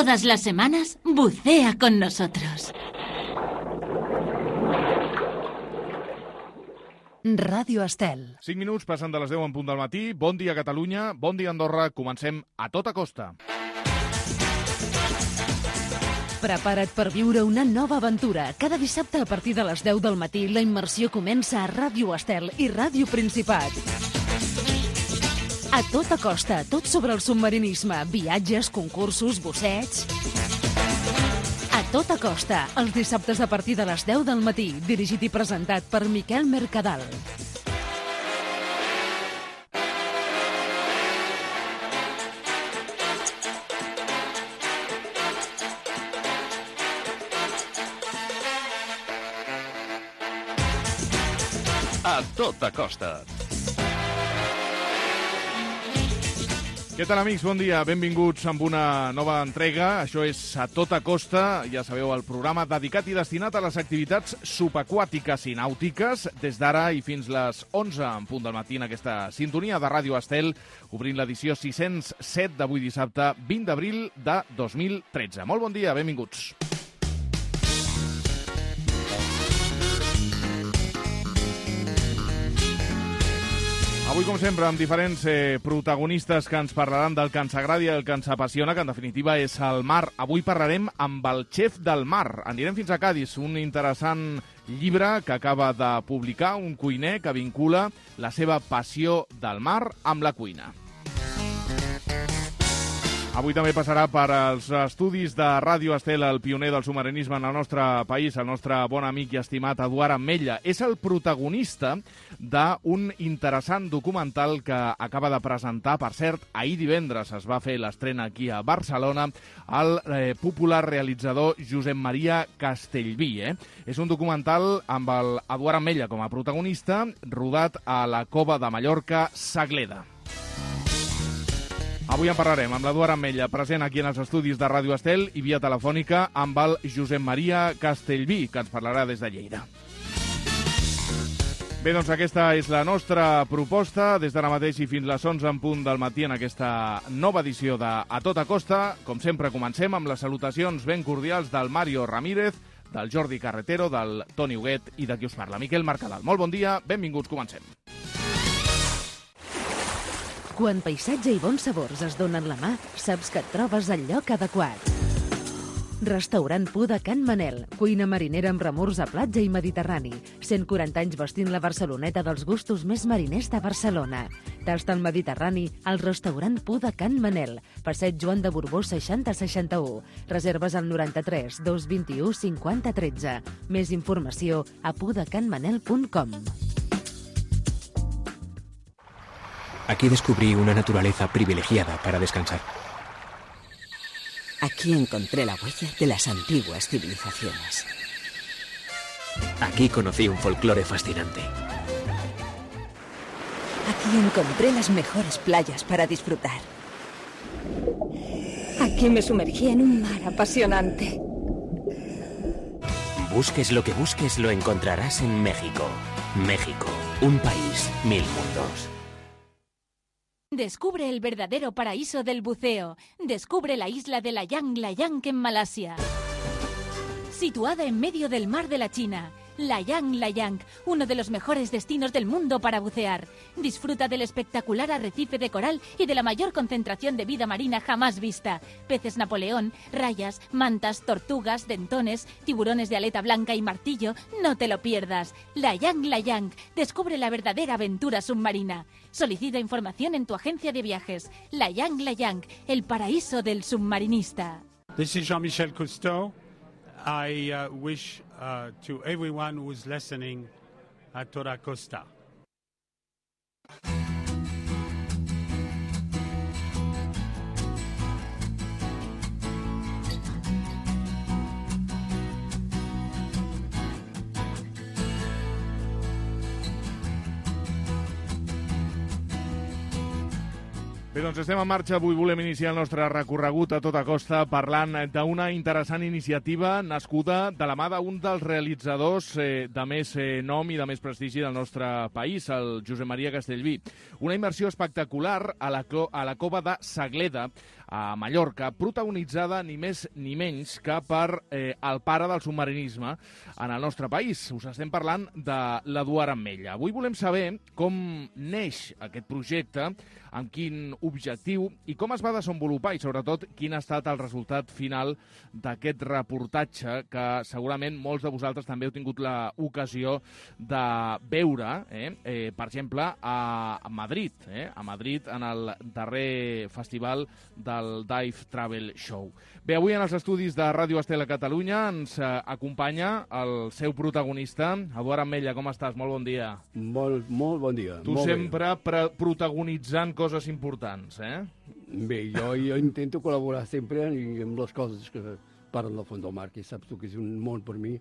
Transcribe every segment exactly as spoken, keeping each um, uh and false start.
Todas las semanas, bucea con nosotros. Ràdio Estel. cinc minuts passen de les deu en punt del matí. Bon dia, Catalunya. Bon dia, Andorra. Comencem a tota costa. Prepara't per viure una nova aventura. Cada dissabte a partir de les deu del matí la immersió comença a Ràdio Estel i Ràdio Principat. A tota costa, tot sobre el submarinisme, viatges, concursos, busseigs... A tota costa, els dissabtes a partir de les deu del matí, dirigit i presentat per Miquel Mercadal. A tota costa. Què tal, amics? Bon dia. Benvinguts amb una nova entrega. Això és A Tota Costa. Ja sabeu, el programa dedicat i destinat a les activitats subaquàtiques i nàutiques. Des d'ara i fins les onze en punt del matí en aquesta sintonia de Ràdio Estel, obrint l'edició sis-cents set d'avui dissabte, vint d'abril de dos mil tretze. Molt bon dia, benvinguts. Avui, com sempre, amb diferents eh, protagonistes que ens parlaran del que ens agrada i el que ens apassiona, que en definitiva és el mar. Avui parlarem amb el xef del mar. Anirem fins a Cadis, un interessant llibre que acaba de publicar un cuiner que vincula la seva passió del mar amb la cuina. Avui també passarà per als estudis de Ràdio Estel el pioner del submarinisme en el nostre país, el nostre bon amic i estimat Eduard Ametlla. És el protagonista d'un interessant documental que acaba de presentar. Per cert, ahir divendres es va fer l'estrena aquí a Barcelona el eh, popular realitzador Josep Maria Castellví. Eh? És un documental amb el Eduard Ametlla com a protagonista, rodat a la Cova de Mallorca, Sagleda. Avui en parlarem amb l'Eduard Ametlla, present aquí en els estudis de Ràdio Estel, i via telefònica amb el Josep Maria Castellví, que ens parlarà des de Lleida. Bé, doncs aquesta és la nostra proposta, des d'ara mateix i fins les onze en punt del matí en aquesta nova edició de A Tota Costa. Com sempre, comencem amb les salutacions ben cordials del Mario Ramírez, del Jordi Carretero, del Toni Huguet i de qui us parla, Miquel Mercadal. Molt bon dia, benvinguts, comencem. Quan paisatge i bons sabors es donen la mà, saps que et trobes al lloc adequat. Restaurant Pu de Can Manel, cuina marinera amb remors a platja i mediterrani. cent quaranta anys vestint la Barceloneta dels gustos més mariners de Barcelona. Tasta al Mediterrani al restaurant Pu de Can Manel, passeig Joan de Borbó seixanta seixanta-u. Reserves al noranta-tres dos vint-i-u cinquanta tretze. Més informació a pudecanmanel punt com. Aquí descubrí una naturaleza privilegiada para descansar. Aquí encontré la huella de las antiguas civilizaciones. Aquí conocí un folclore fascinante. Aquí encontré las mejores playas para disfrutar. Aquí me sumergí en un mar apasionante. Busques lo que busques, lo encontrarás en México. México, un país, mil mundos. Descubre el verdadero paraíso del buceo. Descubre la isla de Layang Layang en Malasia. Situada en medio del mar de la China, Layang Layang, uno de los mejores destinos del mundo para bucear. Disfruta del espectacular arrecife de coral y de la mayor concentración de vida marina jamás vista. Peces Napoleón, rayas, mantas, tortugas, dentones, tiburones de aleta blanca y martillo. No te lo pierdas. Layang Layang, descubre la verdadera aventura submarina. Solicita información en tu agencia de viajes. Layang Layang, el paraíso del submarinista. This is Jean-Michel Cousteau. I uh, wish uh, to everyone who is listening A Tota Costa. Bé, doncs estem en marxa. Avui volem iniciar el nostre recorregut a tota costa parlant d'una interessant iniciativa nascuda de la mà d'un dels realitzadors eh, de més eh, nom i de més prestigi del nostre país, el Josep Maria Castellví. Una immersió espectacular a la, a la cova de Sagleda, a Mallorca, protagonitzada ni més ni menys que per eh, el pare del submarinisme en el nostre país. Us estem parlant de l'Eduard Ametlla. Avui volem saber com neix aquest projecte, amb quin objectiu i com es va desenvolupar i, sobretot, quin ha estat el resultat final d'aquest reportatge que segurament molts de vosaltres també heu tingut l'ocasió de veure, eh? Eh, per exemple, a Madrid, eh? a Madrid en el darrer festival del Dive Travel Show. Bé, avui en els estudis de Ràdio Estel a Catalunya ens eh, acompanya el seu protagonista, Eduard Ametlla. Com estàs? Molt bon dia. Molt, molt bon dia. Tu molt sempre pre protagonitzant coses importants, eh? Bé, jo, jo intento col·laborar sempre amb les coses que parlen del fons del mar, que saps tu que és un món per mi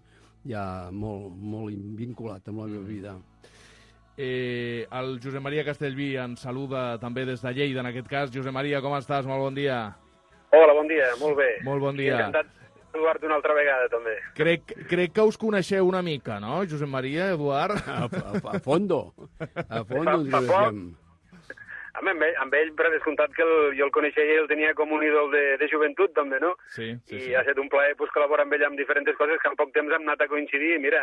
ja molt, molt vinculat amb la meva vida. Eh, el Josep Maria Castellví ens saluda també des de Lleida, en aquest cas. Josep Maria, com estàs? Molt bon dia. Hola, bon dia, molt bé. Molt bon dia. Encantat de trobar-te una altra vegada, també. Crec, crec que us coneixeu una mica, no, Josep Maria, Eduard? A, a, a fondo. A fondo ens coneixem. Amb ell, amb ell, per descomptat que el, jo el coneixia i el tenia com un ídol de, de joventut, també, no? Sí, sí, I sí. ha estat un plaer pues, col·laborar amb ell amb diferents coses que en poc temps hem anat a coincidir i mira,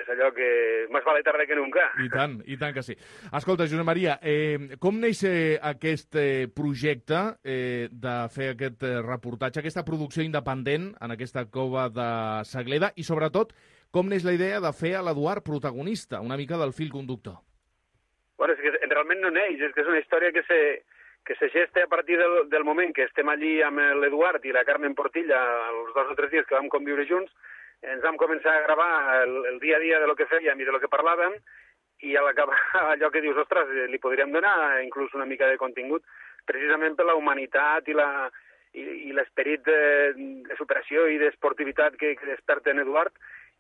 és allò que més vale tarda que nunca. I tant, i tant que sí. Escolta, Josep Maria, eh, com neix eh, aquest eh, projecte eh, de fer aquest eh, reportatge, aquesta producció independent en aquesta cova de Sagleda i, sobretot, com neix la idea de fer a l'Eduard protagonista, una mica del fil conductor? Bueno, és que realment no neix, és que és una història que se, que se gesta a partir del, del moment que estem allí amb l'Eduard i la Carmen Portilla, els dos o tres dies que vam conviure junts, ens vam començar a gravar el, el dia a dia de lo que fèiem i de lo que parlàvem, i a l'acabar allò que dius, ostres, li podríem donar inclús una mica de contingut, precisament per la humanitat i la i, i l'esperit de, de superació i d'esportivitat que, que desperta en Eduard,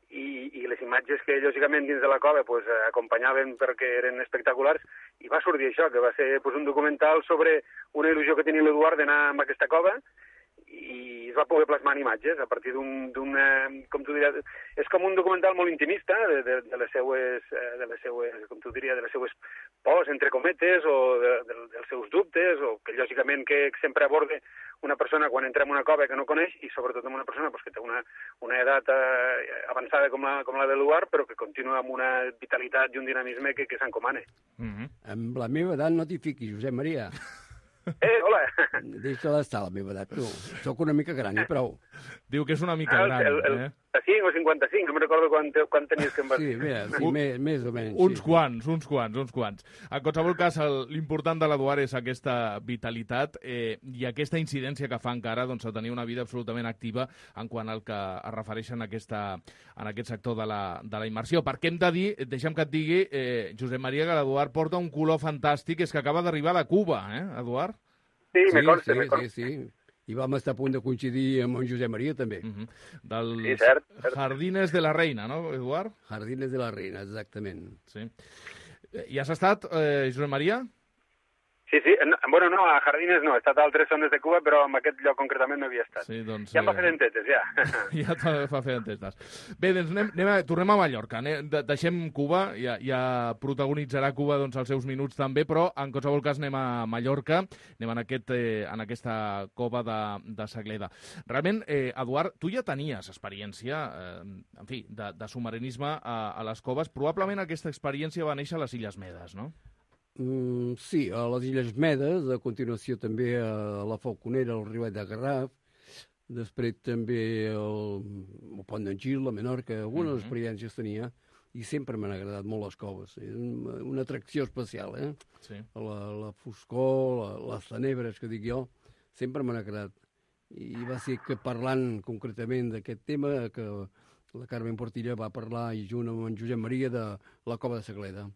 i, i les imatges que, lògicament, dins de la cova pues, acompanyaven perquè eren espectaculars, i va sortir això, que va ser pues, un documental sobre una il·lusió que tenia l'Eduard d'anar a aquesta cova, i es va poder plasmar en imatges a partir d'un, com tu diries, és com un documental molt intimista de, de, de les seues, de les seues, com tu diries, de les seues pors, entre cometes, o de, de, dels seus dubtes, o que lògicament que sempre aborda una persona quan entra en una cova que no coneix, i sobretot amb una persona pues, que té una, una edat eh, avançada com la, com la de l'Eduard, però que continua amb una vitalitat i un dinamisme que, que s'encomana. Mm-hmm. Amb la meva edat no t'hi fiquis, Josep Maria. Eh, hola! Deixa d'estar a la meva edat, tu. Soc una mica gran, i prou. Diu que és una mica ah, gran, el, el, eh? cinc o cinquanta-cinc, no me'n recordo quan, quan tenies que em vas dir. Sí, mira, sí, més, més o menys. Uns sí. quants, uns quants, uns quants. En qualsevol cas, l'important de l'Eduard és aquesta vitalitat eh, i aquesta incidència que fa encara doncs, a tenir una vida absolutament activa en quant al que es refereix en, aquesta, en aquest sector de la, de la immersió. Perquè hem de dir, deixa'm que et digui, eh, Josep Maria, que l'Eduard porta un color fantàstic, és que acaba d'arribar de Cuba, eh, Eduard? Sí, sí, me consta, sí, me consta. Sí, sí. I vam estar a punt de coincidir amb en Josep Maria, també. Uh -huh. Dels sí, cert, cert. Jardines de la Reina, no, Eduard? Jardines de la Reina, exactament. Sí. I has estat, eh, Josep Maria? Sí, sí. No, bueno, no, a Jardines no. He estat a altres zones de Cuba, però en aquest lloc concretament no havia estat. Sí, doncs, ja em va fer dentetes, ja. Ja et fa fer dentetes. Bé, doncs anem, anem a, tornem a Mallorca. Anem, de, deixem Cuba, ja, ja protagonitzarà Cuba doncs, els seus minuts també, però en qualsevol cas anem a Mallorca, anem en, aquest, eh, en aquesta cova de, de Sagleda. Realment, eh, Eduard, tu ja tenies experiència, eh, en fi, de, de submarinisme a, a les coves. Probablement aquesta experiència va néixer a les Illes Medes, no? Mm, sí, a les Illes Medes, a continuació també a la Falconera, al Riuet de Garraf, després també al, al Pont d'en Gil, a Menorca, algunes uh-huh. experiències tenia, i sempre m'han agradat molt les coves. És una, una atracció especial, eh? Sí. La, la foscor, la, les tenebres, que dic jo, sempre m'han agradat. I va ser que parlant concretament d'aquest tema, que la Carmen Portilla va parlar, i junt amb en Josep Maria, de la cova de Sagleda.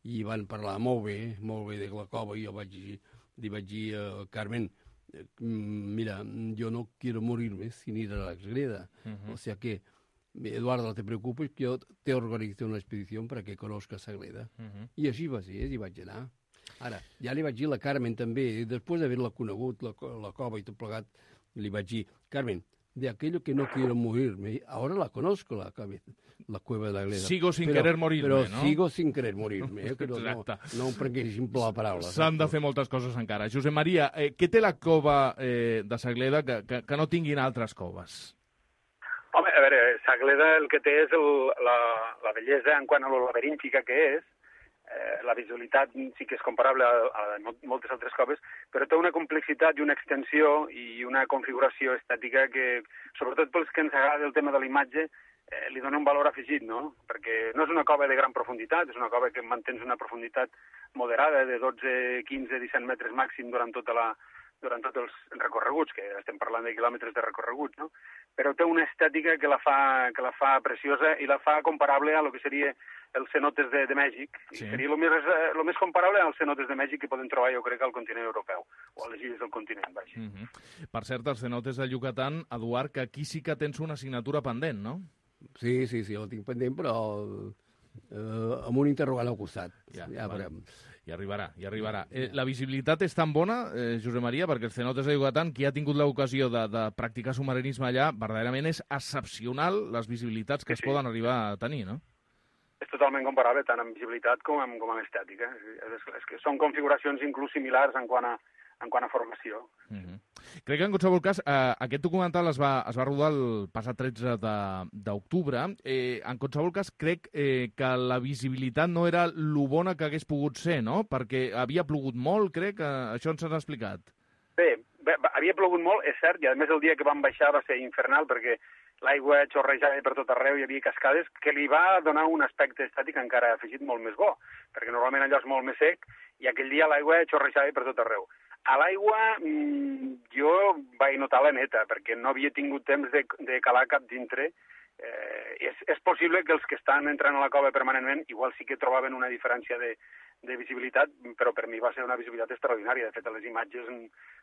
I van parlar molt bé, molt bé de la cova, i jo vaig dir, li vaig dir a Carmen, mira, jo no quiero morirme sin ir a la Sagreda. Uh-huh. O sea que, Eduardo, no te preocupes, que jo te organizo una expedició para que conozcas Sagreda. Uh-huh. I així va ser, i vaig anar. Ara, ja li vaig dir a la Carmen també, després d'haver-la conegut, la, la cova i tot plegat, li vaig dir, Carmen, de aquello que no quiero morirme. Ahora la conozco, la, la cueva de l'Agleda. Sigo sin però, querer morirme, però no? sigo sin querer morirme, eh? Que no, no, no em prenguessin per la paraula. S'han de fer moltes coses encara. Josep Maria, eh, què té la cova eh, de Sagleda que, que, que no tinguin altres coves? Home, a veure, Sagleda el que té és el, la, la bellesa en quant a lo laberíntica que és. Eh, la visualitat sí que és comparable a, a moltes altres coves, però té una complexitat i una extensió i una configuració estètica que, sobretot pels que ens agrada el tema de la imatge, eh, li dona un valor afegit, no? Perquè no és una cova de gran profunditat, és una cova que mantens una profunditat moderada de dotze, quinze, disset metres màxim durant tota la, durant tots els recorreguts, que estem parlant de quilòmetres de recorregut, no? Però té una estètica que la fa, que la fa preciosa i la fa comparable a lo que seria els cenotes de, de Mèxic. Sí. Seria el més, el més comparable als cenotes de Mèxic que poden trobar, jo crec, al continent europeu, o a les illes del continent, vaja. Mm -hmm. Per cert, els cenotes de Yucatán, Eduard, que aquí sí que tens una assignatura pendent, no? Sí, sí, sí, la tinc pendent, però eh, amb un interrogant al costat. Ja, ja vale. veurem. I arribarà, i arribarà. Eh, la visibilitat és tan bona, eh, Josep Maria, perquè els cenotes de Yucatán, qui ha tingut l'ocasió de, de practicar submarinisme allà, verdaderament és excepcional les visibilitats que sí, es poden arribar a tenir, no? És totalment comparable, tant en visibilitat com en, com en estètica. És, és que són configuracions inclús similars en quant a, en quant a formació. Mm -hmm. Crec que en qualsevol cas eh, aquest documental es va, es va rodar el passat tretze d'octubre. Eh, en qualsevol cas crec eh, que la visibilitat no era lo bona que hagués pogut ser, no? Perquè havia plogut molt, crec, que això ens has explicat. Bé, bé, havia plogut molt, és cert, i a més el dia que vam baixar va ser infernal perquè l'aigua xorrejava per tot arreu, hi havia cascades, que li va donar un aspecte estètic encara afegit molt més bo, perquè normalment allò és molt més sec i aquell dia l'aigua xorrejava per tot arreu. A l'aigua mmm, jo vaig notar la neta, perquè no havia tingut temps de, de calar cap dintre. Eh, és, és possible que els que estan entrant a la cova permanentment igual sí que trobaven una diferència de, de visibilitat, però per mi va ser una visibilitat extraordinària. De fet, a les imatges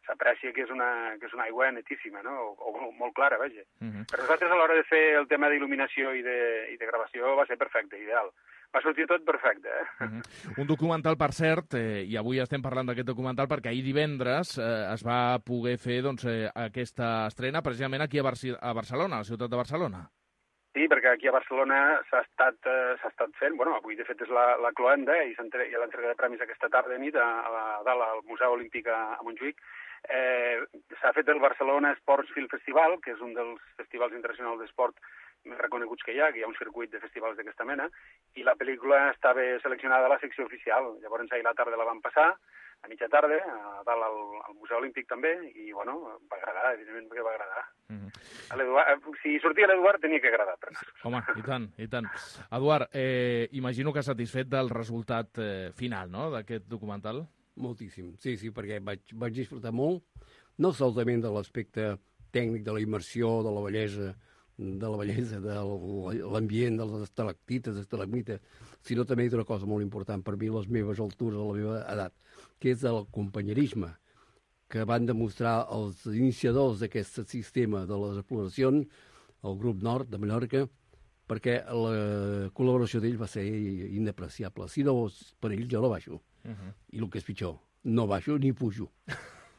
s'aprecia que és una, que és una aigua netíssima, no? o, o molt clara, vaja. Uh -huh. Per nosaltres, a l'hora de fer el tema d'il·luminació i, de, i de gravació, va ser perfecte, ideal. Va sortir tot perfecte, eh? Uh -huh. Un documental, per cert, eh, i avui estem parlant d'aquest documental perquè ahir divendres eh, es va poder fer doncs, eh, aquesta estrena precisament aquí a, Barci a Barcelona, a la ciutat de Barcelona. Sí, perquè aquí a Barcelona s'ha estat, eh, s'ha estat fent, bueno, avui de fet és la, la cloenda i hi ha l'entrega de premis aquesta tarda i nit a, a, a dalt al Museu Olímpic a, a Montjuïc. Eh, s'ha fet el Barcelona Sports Film Festival, que és un dels festivals internacionals d'esport més reconeguts que hi ha, que hi ha un circuit de festivals d'aquesta mena, i la pel·lícula estava seleccionada a la secció oficial. Llavors ahir a la tarda la van passar, a mitja tarda, a dalt al, al Museu Olímpic també, i bueno, va agradar, evidentment que va agradar. Mm -hmm. Si sortia l'Eduard tenia que agradar. Per Home, i tant, i tant. Eduard, eh, imagino que satisfet del resultat eh, final, no?, d'aquest documental? Moltíssim, sí, sí, perquè vaig, vaig disfrutar molt, no solament de l'aspecte tècnic, de la immersió, de la bellesa, de la bellesa, de l'ambient, de les estalactites, estalagmites, sinó també d'una cosa molt important per mi, les meves altures, la meva edat, que és el companyerisme que van demostrar els iniciadors d'aquest sistema de les exploracions, el grup Nord de Mallorca, perquè la col·laboració d'ells va ser inapreciable. Si no és per ells, jo no baixo. Uh -huh. I el que és pitjor, no baixo ni pujo.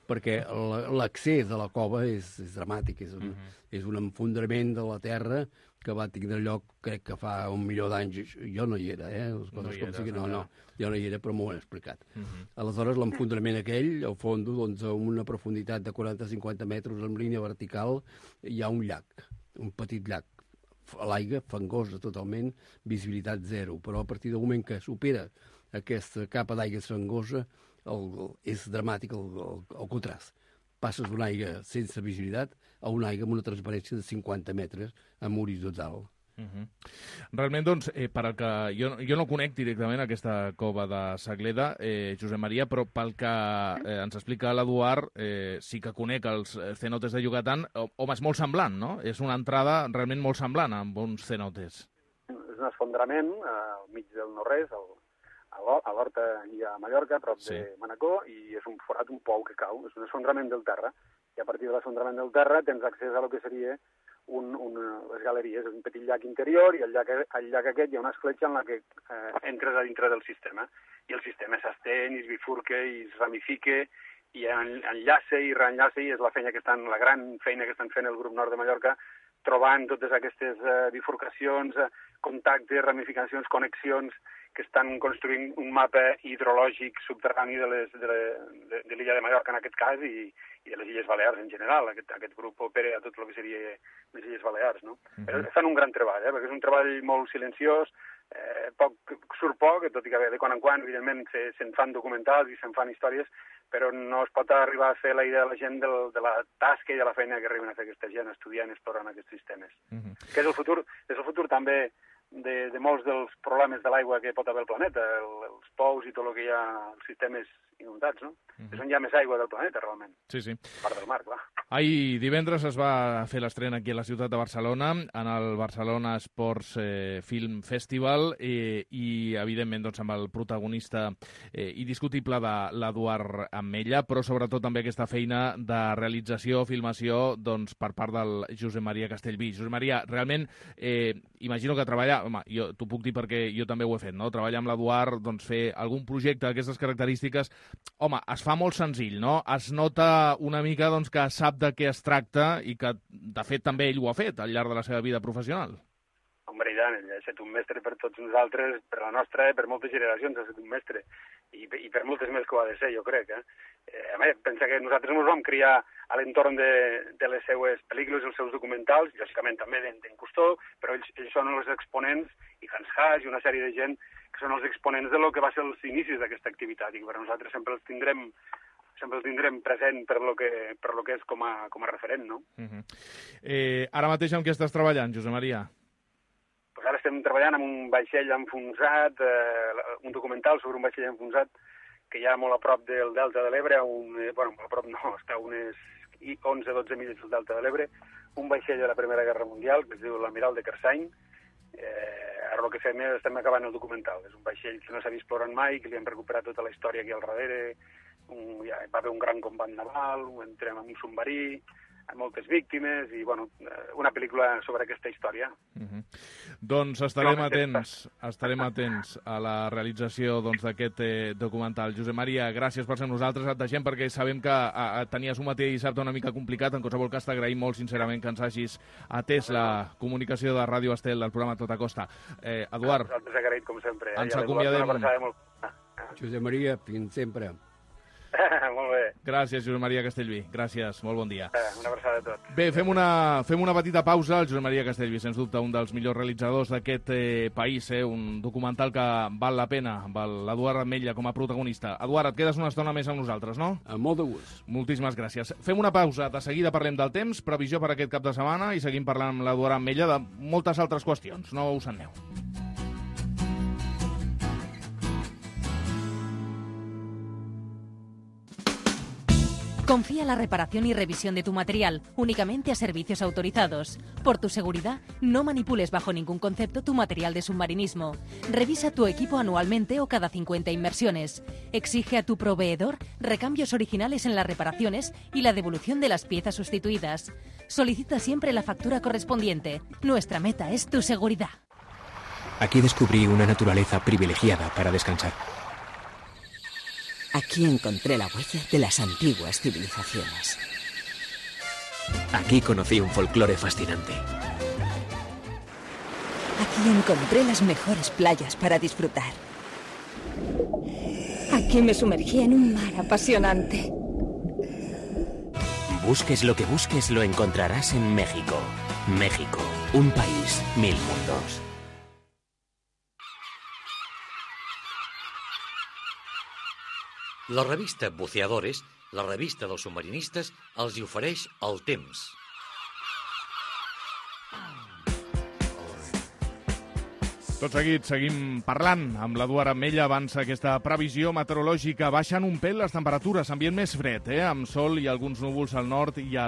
Perquè l'accés a la cova és, és dramàtic, és un, uh -huh. és un enfondrament de la terra que va tindre lloc, crec que fa un milió d'anys. Jo no hi era, eh? Les coses no com sigui, no, no, jo no hi era, però m'ho han explicat. Uh -huh. Aleshores, l'enfondrament aquell, al fons, doncs, a una profunditat de quaranta a cinquanta metres en línia vertical, hi ha un llac, un petit llac, a l'aigua, fangosa totalment, visibilitat zero, però a partir del moment que supera aquesta capa d'aigua fangosa, el, és dramàtic el, el, el contrast. Passes d'una aigua sense visibilitat a una aigua amb una transparència de cinquanta metres amb horitzontal. Uh -huh. Realment, doncs, eh, per al que jo, jo no conec directament aquesta cova de Sagleda, eh, Josep Maria, però pel que eh, ens explica l'Eduard, eh, sí que conec els cenotes de Yucatán. Home, és molt semblant, no? És una entrada realment molt semblant amb uns cenotes. És un esfondrament al mig del no-res, a l'Horta i a Mallorca, a prop sí. de Manacor, i és un forat, un pou que cau, és un esfondrament del terra, i a partir de l'esfondrament del terra tens accés a lo que seria un, un, les galeries, un petit llac interior, i al llac, al llac aquest hi ha una escletxa en la que eh, entres a dintre del sistema, i el sistema s'estén, i es bifurca, i es ramifica, i enllaça i reenllaça, i és la feina que estan, la gran feina que estan fent el grup Nord de Mallorca, trobant totes aquestes uh, bifurcacions, uh, contactes, ramificacions, connexions, que estan construint un mapa hidrològic subterrani de les, de, de, de l'illa de Mallorca en aquest cas i, i de les Illes Balears en general. Aquest, aquest grup opera a tot el que seria les Illes Balears, no? Uh-huh. Però fan un gran treball, eh? Perquè és un treball molt silenciós, eh, poc, surt poc, tot i que de quan en quan, evidentment, se, se'n fan documentals i se'n fan històries, però no es pot arribar a fer la idea de la gent del, de la tasca i de la feina que arriben a fer aquesta gent estudiant i explorant aquests sistemes. Uh-huh. Que és el futur, és el futur també de, de molts dels problemes de l'aigua que pot haver el planeta, el, els pous i tot el que hi ha, els sistemes inundats, no? Uh-huh. És on hi ha més aigua del planeta, realment. Sí, sí. A part del mar, clar. Ahir divendres es va fer l'estrena aquí a la ciutat de Barcelona, en el Barcelona Sports eh, Film Festival, eh, i, evidentment, doncs, amb el protagonista eh, indiscutible de l'Eduard Ametlla, però sobretot també aquesta feina de realització, filmació, doncs, per part del Josep Maria Castellví. Josep Maria, realment, eh, imagino que treballar, home, jo t'ho puc dir perquè jo també ho he fet, no? Treballar amb l'Eduard, doncs, fer algun projecte d'aquestes característiques, home, es fa molt senzill, no? Es nota una mica, doncs, que sap de què es tracta i que, de fet, també ell ho ha fet al llarg de la seva vida professional. Home, i tant, ell ha estat un mestre per tots nosaltres, per la nostra, per moltes generacions ha estat un mestre, i, i per moltes més que ho ha de ser, jo crec. Eh? Eh, a més, pensa que nosaltres ens vam criar a l'entorn de, de les seues pel·lícules, els seus documentals, lògicament també d'en Cousteau, però ells, ells són els exponents, i Hans Haas i una sèrie de gent que són els exponents de lo que va ser els inicis d'aquesta activitat, i per nosaltres sempre els tindrem sempre el tindrem present per lo que, per lo que és com a, com a referent, no? Uh-huh. eh, ara mateix amb què estàs treballant, Josep Maria? Pues ara estem treballant amb un vaixell enfonsat, eh, un documental sobre un vaixell enfonsat que hi ha molt a prop del Delta de l'Ebre, un, eh, bueno, a prop no, està a unes onze dotze milles del Delta de l'Ebre, un vaixell de la Primera Guerra Mundial, que es diu l'Amiral de Kersany. Eh, ara el que fem és, estem acabant el documental. És un vaixell que no s'ha vist explorant mai, que li hem recuperat tota la història aquí al darrere. Un, ja, va haver un gran combat naval, entrem amb un submarí, amb moltes víctimes, i bueno, una pel·lícula sobre aquesta història. Uh-huh. Doncs estarem atents, estarem atents a la realització doncs, d'aquest eh, documental. Josep Maria, gràcies per ser amb nosaltres. Et deixem perquè sabem que a, a, tenies un matí de dissabte una mica complicat. En qualsevol cas, t'agraïm molt sincerament que ens hagis atès la comunicació de Ràdio Estel del programa Tota Costa. Eh, Eduard, nosaltres agraït, com sempre. Ens acomiadem. Molt... Josep Maria, fins sempre. Molt bé. Gràcies, Josep Maria Castellví. Gràcies, molt bon dia. Una abraçada a tots. Bé, fem una, fem una petita pausa. El Josep Maria Castellví, sens dubte, un dels millors realitzadors d'aquest eh, país, eh? Un documental que val la pena, amb l'Eduard Ametlla com a protagonista. Eduard, et quedes una estona més amb nosaltres, no? Amb molt de gust. Moltíssimes gràcies. Fem una pausa. De seguida parlem del temps, previsió per aquest cap de setmana, i seguim parlant amb l'Eduard Ametlla de moltes altres qüestions. No us en aneu. Confía la reparación y revisión de tu material únicamente a servicios autorizados. Por tu seguridad, no manipules bajo ningún concepto tu material de submarinismo. Revisa tu equipo anualmente o cada cincuenta inmersiones. Exige a tu proveedor recambios originales en las reparaciones y la devolución de las piezas sustituidas. Solicita siempre la factura correspondiente. Nuestra meta es tu seguridad. Aquí descubrí una naturaleza privilegiada para descansar. Aquí encontré la huella de las antiguas civilizaciones. Aquí conocí un folclore fascinante. Aquí encontré las mejores playas para disfrutar. Aquí me sumergí en un mar apasionante. Busques lo que busques, lo encontrarás en México. México, un país, mil mundos. La revista Buceadores, la revista dels submarinistes, els hi ofereix el temps. Tot seguit seguim parlant amb l'Eduard Ametlla. Avança aquesta previsió meteorològica. Baixen un pèl les temperatures, ambient més fred, eh? Amb sol i alguns núvols al nord i a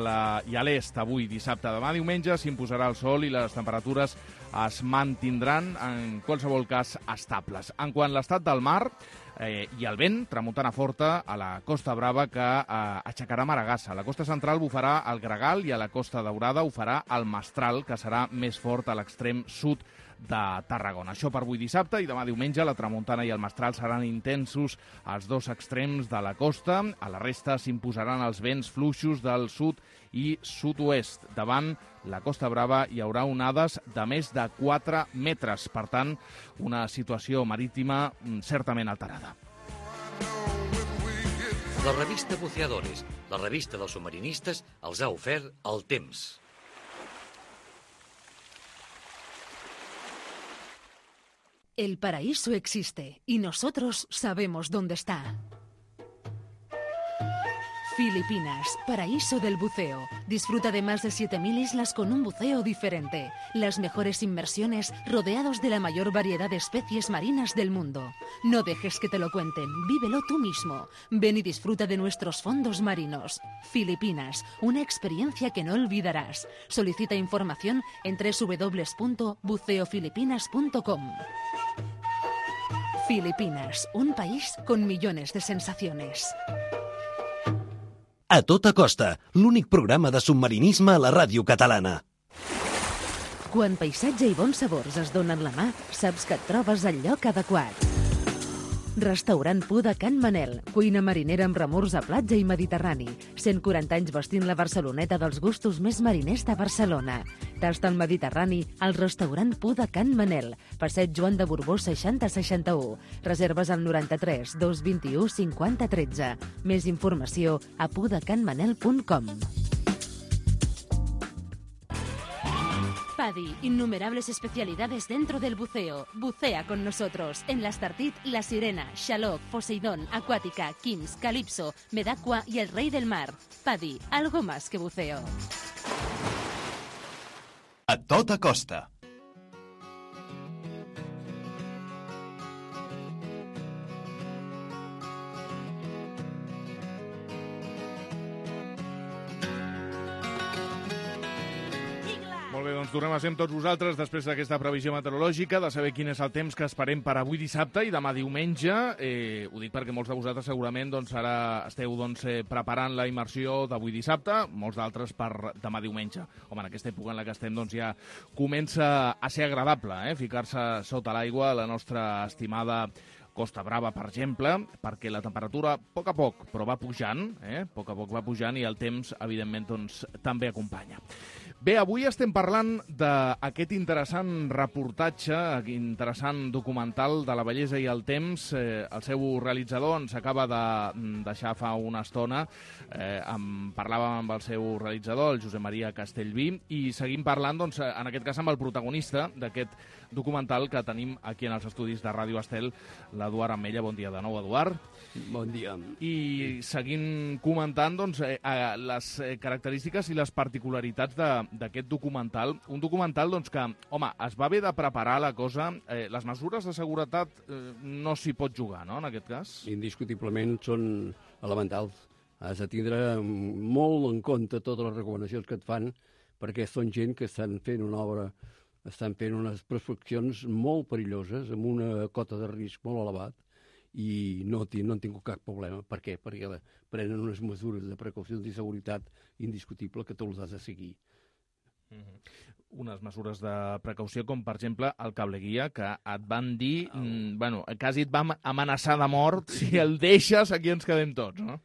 l'est avui dissabte. Demà diumenge s'imposarà el sol i les temperatures es mantindran, en qualsevol cas, estables. En quant a l'estat del mar, eh, i el vent, tramuntana forta a la Costa Brava, que eh, aixecarà Maragassa. A la costa central bufarà el Gregal i a la Costa Daurada ho farà el Mestral, que serà més fort a l'extrem sud de Tarragona. Això per avui dissabte, i demà diumenge la tramuntana i el mestral seran intensos als dos extrems de la costa. A la resta s'imposaran els vents fluixos del sud i sud-oest. Davant la Costa Brava hi haurà onades de més de quatre metres. Per tant, una situació marítima certament alterada. La revista Buceadores, la revista dels submarinistes, els ha ofert el temps. El paraíso existe y nosotros sabemos dónde está. Filipinas, paraíso del buceo. Disfruta de más de siete mil islas con un buceo diferente. Las mejores inmersiones rodeados de la mayor variedad de especies marinas del mundo. No dejes que te lo cuenten, vívelo tú mismo. Ven y disfruta de nuestros fondos marinos. Filipinas, una experiencia que no olvidarás. Solicita información en doble u doble u doble u punto buceo filipinas punto com. Filipinas, un país con millones de sensaciones. A tota costa, l'únic programa de submarinisme a la ràdio catalana. Quan paisatge i bons sabors es donen la mà, saps que et trobes al lloc adequat. Restaurant Pu de Can Manel, cuina marinera amb remors a platja i mediterrani. cent quaranta anys vestint la Barceloneta dels gustos més mariners de Barcelona. Tasta el Mediterrani al restaurant Pu de Can Manel, passeig Joan de Borbó seixanta seixanta-u. Reserves al noranta-tres dos vint-i-u cinquanta tretze. Més informació a pudecanmanel punt com. PADI, innumerables especialidades dentro del buceo. Bucea con nosotros en la Estartit, La Sirena, Xaloc, Poseidón, Acuática, Kims, Calypso, Medacua y el Rey del Mar. PADI, algo más que buceo. A tota costa. Molt bé, doncs tornem a ser amb tots vosaltres després d'aquesta previsió meteorològica, de saber quin és el temps que esperem per avui dissabte i demà diumenge. Eh, ho dic perquè molts de vosaltres segurament doncs, ara esteu doncs, eh, preparant la immersió d'avui dissabte, molts d'altres per demà diumenge. Home, en aquesta època en la que estem doncs, ja comença a ser agradable eh, ficar-se sota l'aigua a la nostra estimada Costa Brava, per exemple, perquè la temperatura a poc a poc, però va pujant, eh? a poc a poc va pujant i el temps, evidentment, doncs, també acompanya. Bé, avui estem parlant d'aquest interessant reportatge, interessant documental de la bellesa i el temps. Eh, el seu realitzador ens acaba de deixar fa una estona. Eh, en parlàvem amb el seu realitzador, el Josep Maria Castellví, i seguim parlant, doncs, en aquest cas, amb el protagonista d'aquest documental que tenim aquí en els estudis de Ràdio Estel, l'Eduard Ametlla. Bon dia de nou, Eduard. Bon dia. I seguim comentant doncs, eh, les característiques i les particularitats d'aquest documental. Un documental doncs, que, home, es va haver de preparar la cosa. Eh, les mesures de seguretat eh, no s'hi pot jugar, no?, en aquest cas? Indiscutiblement són elementals. Has de tindre molt en compte totes les recomanacions que et fan, perquè són gent que estan fent una obra, estan fent unes prospeccions molt perilloses, amb una cota de risc molt elevat, i no, no han tingut cap problema. Per què? Perquè prenen unes mesures de precaucions i seguretat indiscutible que tu les has de seguir. Mm-hmm. Unes mesures de precaució com, per exemple, el cable guia, que et van dir, oh. mm, bueno, quasi et van amenaçar de mort, si el deixes aquí ens quedem tots, no?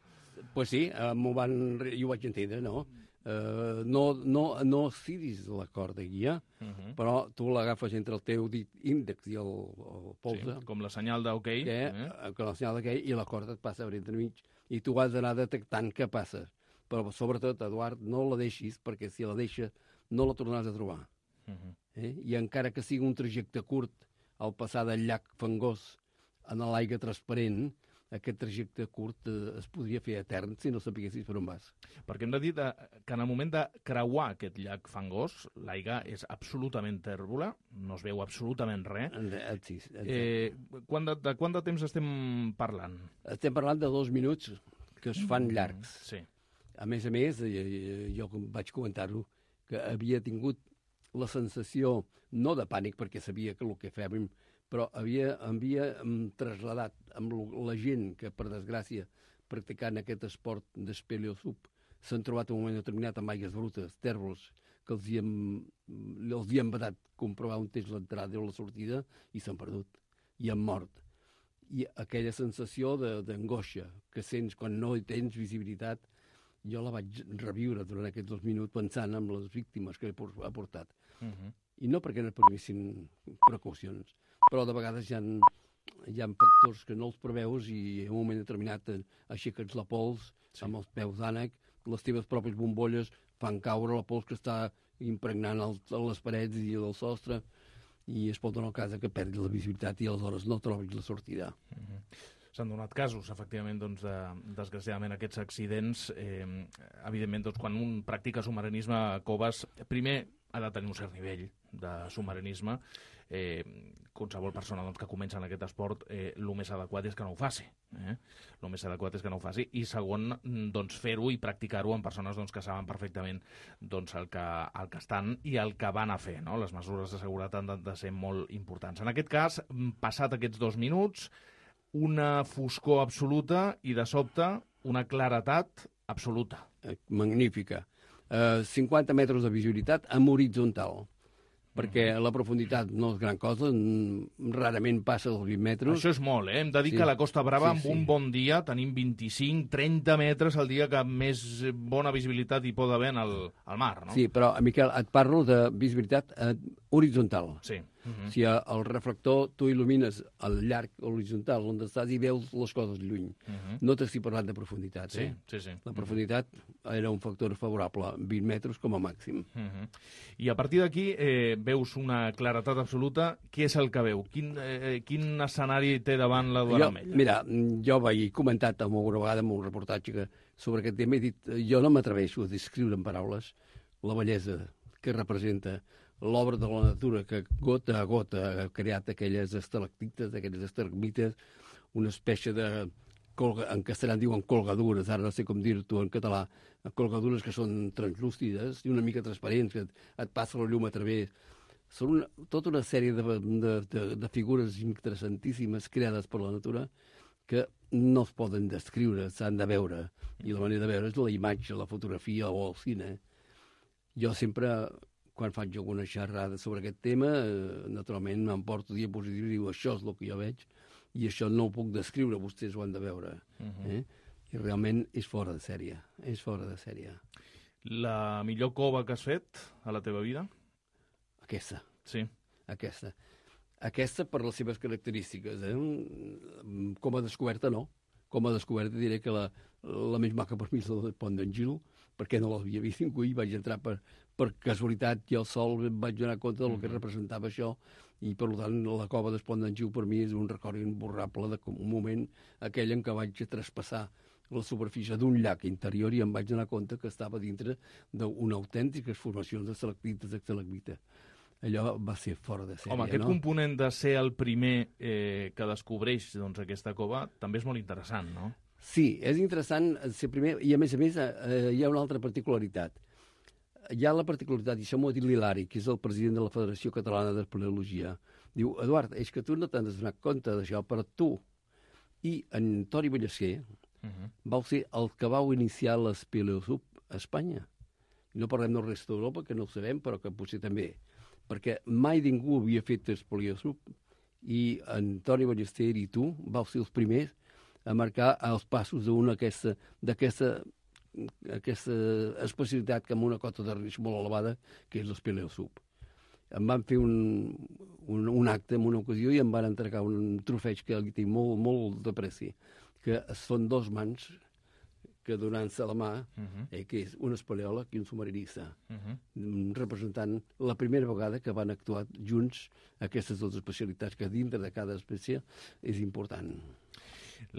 Pues sí, uh, m'ho van, jo ho vaig entendre, no? Uh, no, no, no ciris la corda guia, uh-huh. però tu l'agafes entre el teu dit índex i el, el polze. Sí, com la senyal d'ok. Eh? Eh? Com la senyal d'ok, i la corda et passa per entremig, i tu has d'anar detectant què passa. Però sobretot, Eduard, no la deixis, perquè si la deixes no la tornaràs a trobar. Uh-huh. eh? I encara que sigui un trajecte curt, al passar del llac fangós en l'aigua transparent, aquest trajecte curt eh, es podria fer etern si no sapiguessis per on vas. Perquè hem de dir de, que en el moment de creuar aquest llac fangós, l'aigua és absolutament tèrbola, no es veu absolutament res. Sí, eh, quant de, de quant de temps estem parlant? Estem parlant de dos minuts que es fan llargs. Sí. A més a més, eh, jo vaig comentar-ho, que havia tingut la sensació, no de pànic, perquè sabia que el que fèiem, però havia, havia trasladat amb la gent que, per desgràcia, practicant aquest esport d'espeleosub, s'han trobat en un moment determinat amb aigues brutes, tèrbols, que els hi hem, els hi hem vedat comprovar on és l'entrada o la sortida i s'han perdut, i han mort. I aquella sensació d'angoixa que sents quan no tens visibilitat, jo la vaig reviure durant aquests dos minuts pensant en les víctimes que ha portat. Uh-huh. I no perquè no previssin precaucions, però de vegades hi ha, hi ha factors que no els preveus i en un moment determinat aixeques la pols sí. amb els peus d'ànec, les teves pròpies bombolles fan caure la pols que està impregnant el, les parets i el sostre i es pot donar el cas que perdis la visibilitat i aleshores no trobis la sortida. Uh-huh. S'han donat casos, efectivament, doncs, de, desgraciadament, aquests accidents. Eh, evidentment, doncs, quan un practica submarinisme a coves, primer ha de tenir un cert nivell de submarinisme. Eh, qualsevol persona doncs, que comença en aquest esport, eh, el més adequat és que no ho faci. Eh? El més adequat és que no ho faci. I segon, doncs, fer-ho i practicar-ho amb persones doncs, que saben perfectament doncs, el, que, el que estan i el que van a fer. No? Les mesures de seguretat han de, de ser molt importants. En aquest cas, passat aquests dos minuts, una foscor absoluta i, de sobte, una claretat absoluta. Magnífica. Uh, cinquanta metres de visibilitat amb horitzontal, perquè la profunditat no és gran cosa, rarament passa dels vint metres. Això és molt, eh? Hem de dir sí. que a la Costa Brava, sí, amb sí. un bon dia, tenim vint-i-cinc trenta metres al dia que més bona visibilitat hi pot haver al, al mar, no? Sí, però, Miquel, et parlo de visibilitat eh, horitzontal. Sí. Uh-huh. Si el reflector tu il·lumines al llarg horitzontal on estàs i veus les coses lluny. Uh-huh. No t'estic parlant de profunditat. Sí, eh? sí, sí. La profunditat uh-huh. era un factor favorable, vint metres com a màxim. Uh-huh. I a partir d'aquí eh, veus una claretat absoluta. Què és el que veu? Quin, eh, quin escenari té davant la Duana Mella? Mira, jo vaig comentat alguna vegada en un reportatge que, sobre aquest tema i he dit, jo no m'atreveixo a descriure en paraules la bellesa que representa l'obra de la natura que gota a gota ha creat aquelles estalactites, aquelles estalagmites, una espècie de, colga, en castellà en diuen colgadures, ara no sé com dir-ho en català, colgadures que són translúcides i una mica transparents, que et, et passa la llum a través. Són una, tota una sèrie de, de, de, de figures interessantíssimes creades per la natura que no es poden descriure, s'han de veure. I la manera de veure és la imatge, la fotografia o el cine. Jo sempre, quan faig alguna xerrada sobre aquest tema, eh, naturalment m'emporto diapositius i diu això és el que jo veig i això no ho puc descriure, vostès ho han de veure. Uh-huh. eh? I realment és fora de sèrie, és fora de sèrie. La millor cova que has fet a la teva vida? Aquesta. Sí. Aquesta. Aquesta per les seves característiques. Eh? Com a descoberta, no. Com a descoberta diré que la, la més maca per mi és la del Pont d'en Gil, perquè no l'havia vist ningú i vaig entrar per, per casualitat i al sol em vaig donar compte del que representava això i per tant la cova del Pont d'en Gil per mi és un record imborrable de un moment aquell en què vaig traspassar la superfície d'un llac interior i em vaig donar compte que estava dintre d'una autèntica formació de estalactites d'estalagmita. Allò va ser fora de sèrie, Home, aquest no? component de ser el primer eh, que descobreix doncs, aquesta cova també és molt interessant, no? Sí, és interessant ser primer, i a més a més eh, hi ha una altra particularitat. Hi ha la particularitat, i això m'ho ha dit l'Hilari, que és el president de la Federació Catalana d'Espeleologia. Diu, Eduard, és que tu no t'has donat compte d'això, però tu i en Toni Ballester uh-huh. vau ser el que vau iniciar l'Espeleosub a Espanya. No parlem del resta d'Europa, que no ho sabem, però que potser també. Perquè mai ningú havia fet Espeleosub i en Toni Ballester i tu vau ser els primers a marcar els passos d'una aquesta, d'aquesta aquesta especialitat que amb una cota de risc molt elevada, que és l'Espeleosub. Em van fer un, un, un acte en una ocasió i em van entregar un trofeig que li tinc molt, molt de preci, que són dos mans que donant-se la mà, uh-huh. eh, que és un espeleòleg i un submarinista, uh-huh. representant la primera vegada que van actuar junts aquestes dues especialitats, que dintre de cada espècie és important.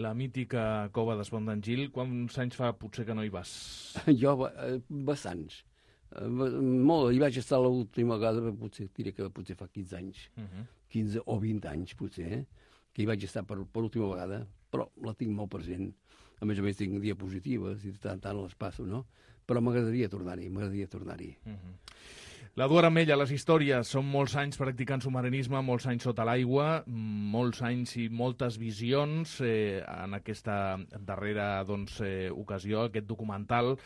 La mítica cova d'Espont d'en Gil, quants anys fa potser que no hi vas? Jo, eh, bastants. Eh, molt, hi vaig estar l'última vegada, potser diré que potser fa quinze anys, uh-huh. quinze o vint anys potser, eh, que hi vaig estar per, per última vegada, però la tinc molt present. A més a més tinc diapositives i tant tant les passo, no? Però m'agradaria tornar-hi, m'agradaria tornar-hi. Uh-huh. L'Eduard Ametlla, les històries, són molts anys practicant submarinisme, molts anys sota l'aigua, molts anys i moltes visions eh, en aquesta darrera doncs, eh, ocasió, aquest documental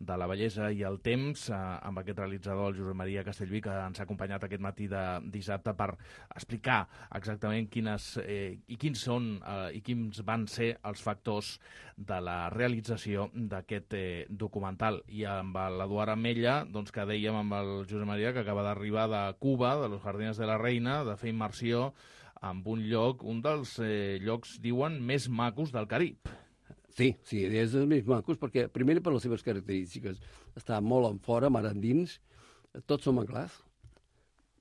de la bellesa i el temps, eh, amb aquest realitzador, el Josep Maria Castellví, que ens ha acompanyat aquest matí de dissabte per explicar exactament quines eh, i quins són eh, i quins van ser els factors de la realització d'aquest eh, documental. I amb l'Eduard Ametlla, doncs, que dèiem amb el Josep Maria, que acaba d'arribar de Cuba, de los Jardines de la Reina, de fer immersió en un lloc, un dels eh, llocs, diuen, més macos del Carib. Sí, sí, és dels més macos, perquè, primer, per les seves característiques, està molt en fora, mar endins, tots són manglars,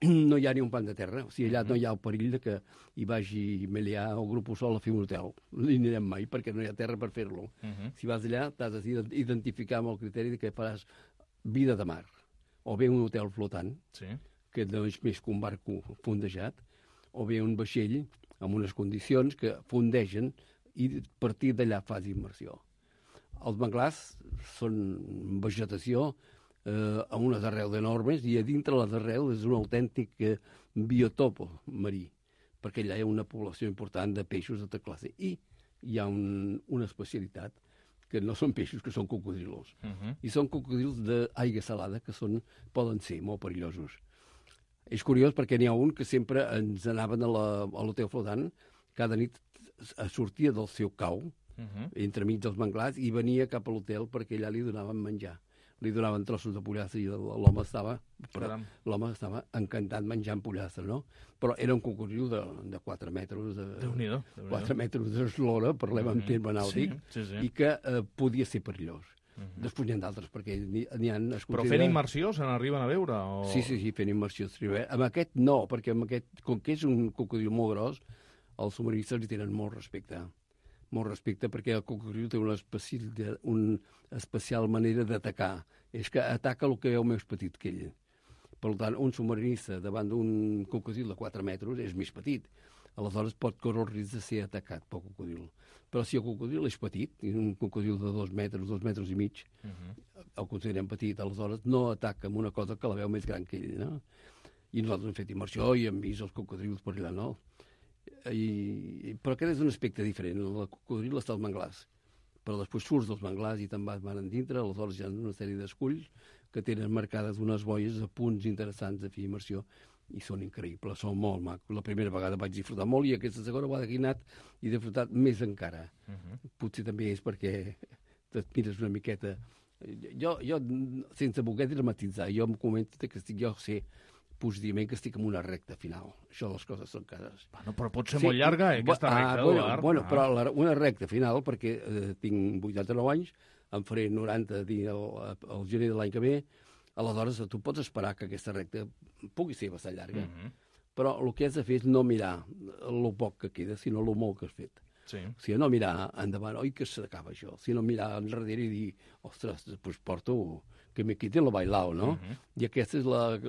no hi ha ni un pan de terra, o sigui, allà no hi ha el perill de que hi vagi Melià o Grupo Sol a fer un hotel. No hi anirem mai, perquè no hi ha terra per fer-lo. Uh -huh. Si vas allà, t'has d'identificar amb el criteri de que faràs vida de mar, o bé un hotel flotant, sí, que no és més que un barco fondejat, o bé un vaixell amb unes condicions que fondegen i a partir d'allà fas immersió. Els manglars són vegetació eh, amb unes arrels enormes i a dintre les arrels és un autèntic eh, biotop marí, perquè allà hi ha una població important de peixos de tota classe. I hi ha un, una especialitat que no són peixos, que són cocodrilos. Uh -huh. I són cocodrils d'aigua salada, que són, poden ser molt perillosos. És curiós perquè n'hi ha un que sempre ens anaven a l'hotel flotant, cada nit sortia del seu cau, uh -huh, entremig dels manglars, i venia cap a l'hotel perquè allà li donaven menjar. Li donaven trossos de pollastre i l'home estava, l'home estava encantat menjant pollastre, no? Però era un cocodril de, de quatre metres de, Déu-n'hi-do, quatre metres d'eslora, parlem en terme nàutic, sí, sí, sí. I que eh, podia ser perillós. Uh-huh. Després n'hi ha d'altres, perquè n'hi ha... Però fent immersió se n'arriben a veure? O... Sí, sí, sí, fent immersió. Amb aquest no, perquè amb aquest, com que és un cocodril molt gros, els submarinistes li tenen molt respecte. Molt respecte, perquè el cocodril té una especial, una especial manera d'atacar. És que ataca el que és més petit que ell. Per tant, un submarinista davant d'un cocodril de quatre metres és més petit. Aleshores pot córrer el risc de ser atacat pel cocodril. Però si el cocodril és petit, un cocodril de dos metres, dos metres i mig, uh-huh, el considerem petit, aleshores no ataca amb una cosa que la veu més gran que ell, no? I nosaltres hem fet immersió i hem vist els cocodrils per allà, no? I, però aquest és un aspecte diferent. El cocodril està als manglars, però després surts dels manglars i te'n vas mar endintre, aleshores hi ha una sèrie d'esculls que tenen marcades unes boies a punts interessants de fer immersió i són increïbles, són molt macos. La primera vegada vaig disfrutar molt i aquesta segona vegada que he anat he disfrutat més encara. Uh-huh. Potser també és perquè et mires una miqueta... Jo, jo sense voler dramatitzar, jo em comento que estic, jo sé, positivament que estic en una recta final. Això les coses són cases. Bueno, però pot ser sí, molt llarga, eh, aquesta recta, ah, bueno, Eduard. Bueno, ah. però la, una recta final, perquè eh, tinc vuitanta-nou anys, em faré noranta el, el gener de l'any que ve, aleshores tu pots esperar que aquesta recta pugui ser bastant llarga, uh-huh, però el que has de fer és no mirar el poc que queda, sinó el molt que has fet. Sí. O sigui, no mirar endavant, oi que s'acaba això, sinó mirar enrere i dir, ostres, doncs porto que me quite el bailao, no? Uh-huh. I aquesta és la,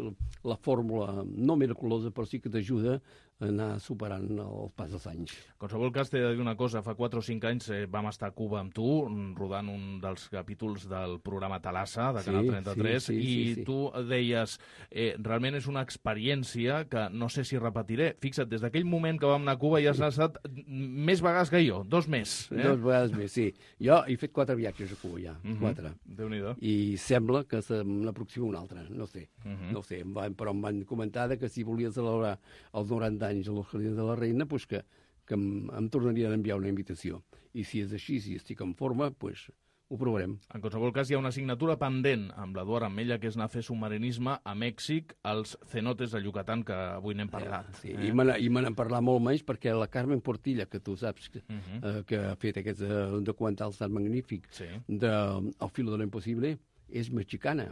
la fórmula no miraculosa, però sí que t'ajuda a anar superant el pas dels anys. En qualsevol cas, t'he de dir una cosa. Fa quatre o cinc anys eh, vam estar a Cuba amb tu, rodant un dels capítols del programa Talassa, de Canal sí, trenta-tres, sí, sí, i sí, sí. tu deies, eh, realment és una experiència que no sé si repetiré. Fixa't, des d'aquell moment que vam anar a Cuba ja has estat més vegades que jo, dos més. Eh? Dos vegades més, sí. Jo he fet quatre viatges a Cuba ja, uh-huh, quatre. Déu-n'hi-do. I sembla que se n'aproxima una altra, no sé, uh-huh, no sé, però em van comentar que si volia celebrar els noranta anys a los Jardins de la Reina, pues que, que em, em tornarien a enviar una invitació. I si és així, si estic en forma, pues ho provarem. En qualsevol cas, hi ha una assignatura pendent amb l'Eduard Ametlla, que és anar a fer submarinisme a Mèxic, als cenotes de Yucatán, que avui n'hem parlat. Eh, sí, eh? I me n'han parlat molt menys perquè la Carmen Portilla, que tu saps que, uh-huh, eh, que ha fet aquest eh, documental tan magnífic, sí, de El filo de lo impossible, és mexicana.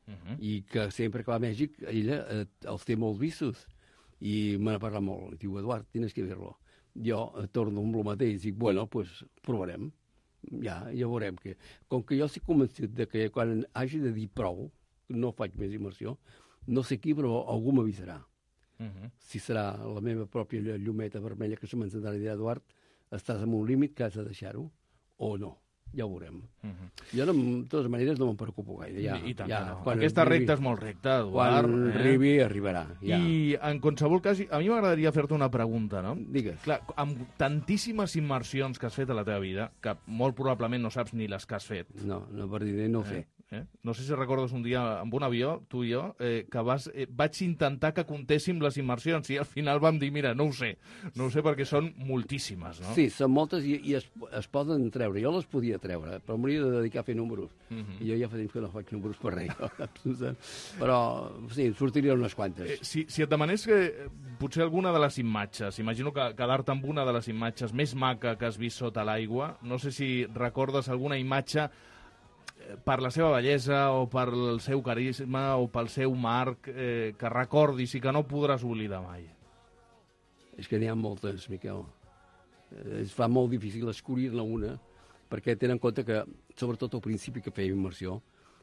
Uh-huh. I que sempre que va a Mèxic, ella eh, els té molt vistos. I me n'ha parlat molt. I diu, Eduard, tienes que verlo. Jo eh, torno amb el mateix i dic, bueno, pues provarem. Ja, ja veurem que... Com que jo estic convençut de que quan hagi de dir prou, no faig més immersió, no sé qui, però algú m'avisarà. Uh-huh. Si serà la meva pròpia llumeta vermella que se m'encendrà i dirà, Eduard, estàs en un límit que has de deixar-ho, o no. ja ho veurem. Uh -huh. Jo, de totes maneres, no me'n preocupo gaire. Ja, I, i tant ja, que no. Quan Aquesta arribi, recta és molt recta, Eduard. Quan eh? arribi, arribarà. Ja. I, en qualsevol cas, a mi m'agradaria fer-te una pregunta, no? Digues. Clar, amb tantíssimes immersions que has fet a la teva vida, que molt probablement no saps ni les que has fet. No, no per dir no ho sé. Eh? Eh? No sé si recordes un dia amb un avió, tu i jo, eh, que vas, eh, vaig intentar que comptéssim les immersions i al final vam dir, mira, no ho sé, no ho sé perquè són moltíssimes, no? Sí, són moltes i, i es, es poden treure. Jo les podia treure, però m'hauria de dedicar a fer números. Uh -huh. I jo ja fa temps que no faig números per res. Però, sí, en sortirien unes quantes. Eh, si, si et demanés que eh, potser alguna de les imatges, imagino que quedar-te amb una de les imatges més maca que has vist sota l'aigua, no sé si recordes alguna imatge per la seva bellesa o per el seu carisma o pel seu marc eh, que recordis i que no podràs oblidar mai. És que n'hi ha moltes, Miquel. Eh, es fa molt difícil escollir-ne una, perquè tenen en compte que, sobretot al principi que feia immersió,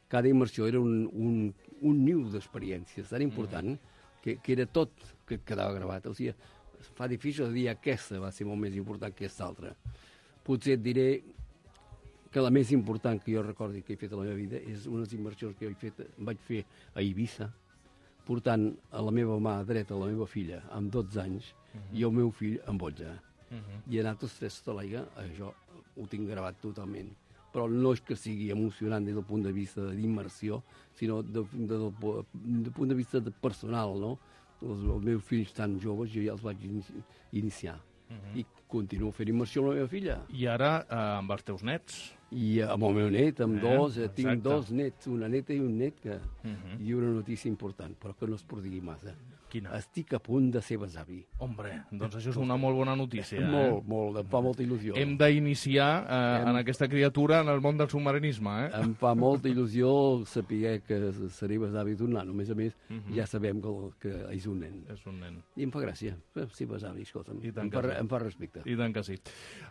cada immersió era un, un, un niu d'experiències tan important mm. que, que era tot que quedava gravat. O sigui, fa difícil dir aquesta va ser molt més important que aquesta altra. Potser et diré que la més important que jo recordi que he fet a la meva vida és unes immersions que he fet, vaig fer a Eivissa, portant a la meva mà dreta la meva filla amb dotze anys uh -huh. i el meu fill amb onze. Uh -huh. I he anat tots tres sota l'aigua, això ho tinc gravat totalment. Però no és que sigui emocionant des del punt de vista d'immersió, sinó de, de, de, de punt de vista de personal, no? Els, els meus fills tan joves jo ja els vaig iniciar. Uh -huh. I continuo fent immersió amb la meva filla. I ara eh, amb els teus nets? I amb el meu net, amb eh, dos, eh, tinc dos nets, una neta i un net, que, uh -huh. i una notícia important, però que no es prodigui massa. Quina? Estic a punt de ser besavi. Hombre, doncs això és una molt bona notícia. Eh? Molt, molt, em fa molta il·lusió. Hem d'iniciar eh, em... en aquesta criatura en el món del submarinisme, eh? Em fa molta il·lusió saber que seré besavi d'un nano. A més a més, uh -huh. ja sabem que, que és un nen. És un nen. I em fa gràcia, ser besavi, escolta'm. I tant em, que fa, sí. em fa respecte. I tant que sí.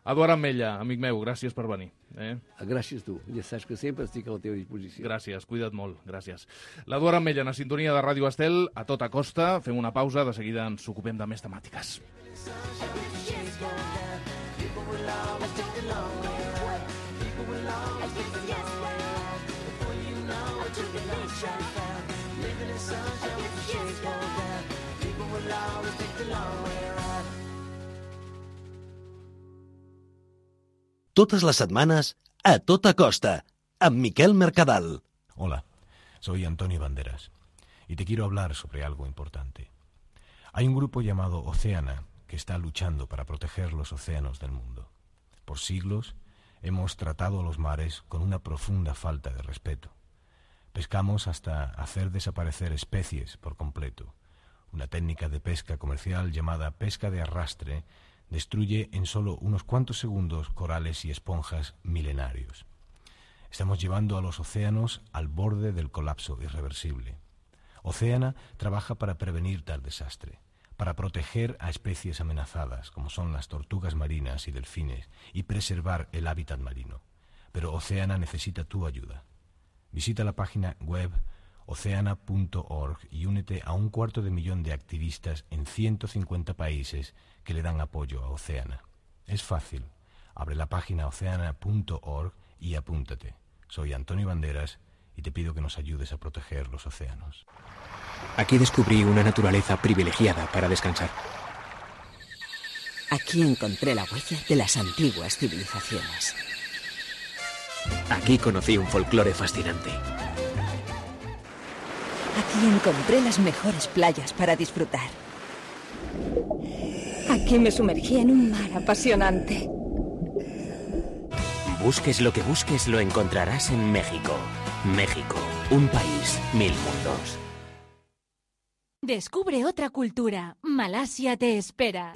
Eduard Ametlla, amic meu, gràcies per venir. Eh? Gràcies tu. Ja saps que sempre estic a la teva disposició. Gràcies, cuida't molt, gràcies. L'Eduard Ametlla, en la sintonia de Ràdio Estel, a tota costa. Fem una pausa, de seguida ens ocupem de més temàtiques. Totes les setmanes, a tota costa, amb Miquel Mercadal. Hola, soy Antonio Banderas y te quiero hablar sobre algo importante. Hay un grupo llamado Oceana que está luchando para proteger los océanos del mundo. Por siglos hemos tratado a los mares con una profunda falta de respeto. Pescamos hasta hacer desaparecer especies por completo. Una técnica de pesca comercial llamada pesca de arrastre destruye en solo unos cuantos segundos corales y esponjas milenarios. Estamos llevando a los océanos al borde del colapso irreversible. Oceana trabaja para prevenir tal desastre, para proteger a especies amenazadas, como son las tortugas marinas y delfines, y preservar el hábitat marino. Pero Oceana necesita tu ayuda. Visita la página web oceana punto org y únete a un cuarto de millón de activistas en ciento cincuenta países que le dan apoyo a Oceana. Es fácil. Abre la página oceana punto org y apúntate. Soy Antonio Banderas y te pido que nos ayudes a proteger los océanos. Aquí descubrí una naturaleza privilegiada para descansar. Aquí encontré la huella de las antiguas civilizaciones. Aquí conocí un folclore fascinante. Aquí encontré las mejores playas para disfrutar. Aquí me sumergí en un mar apasionante. Busques lo que busques, lo encontrarás en México. México, un país, mil mundos. Descubre otra cultura. Malasia te espera.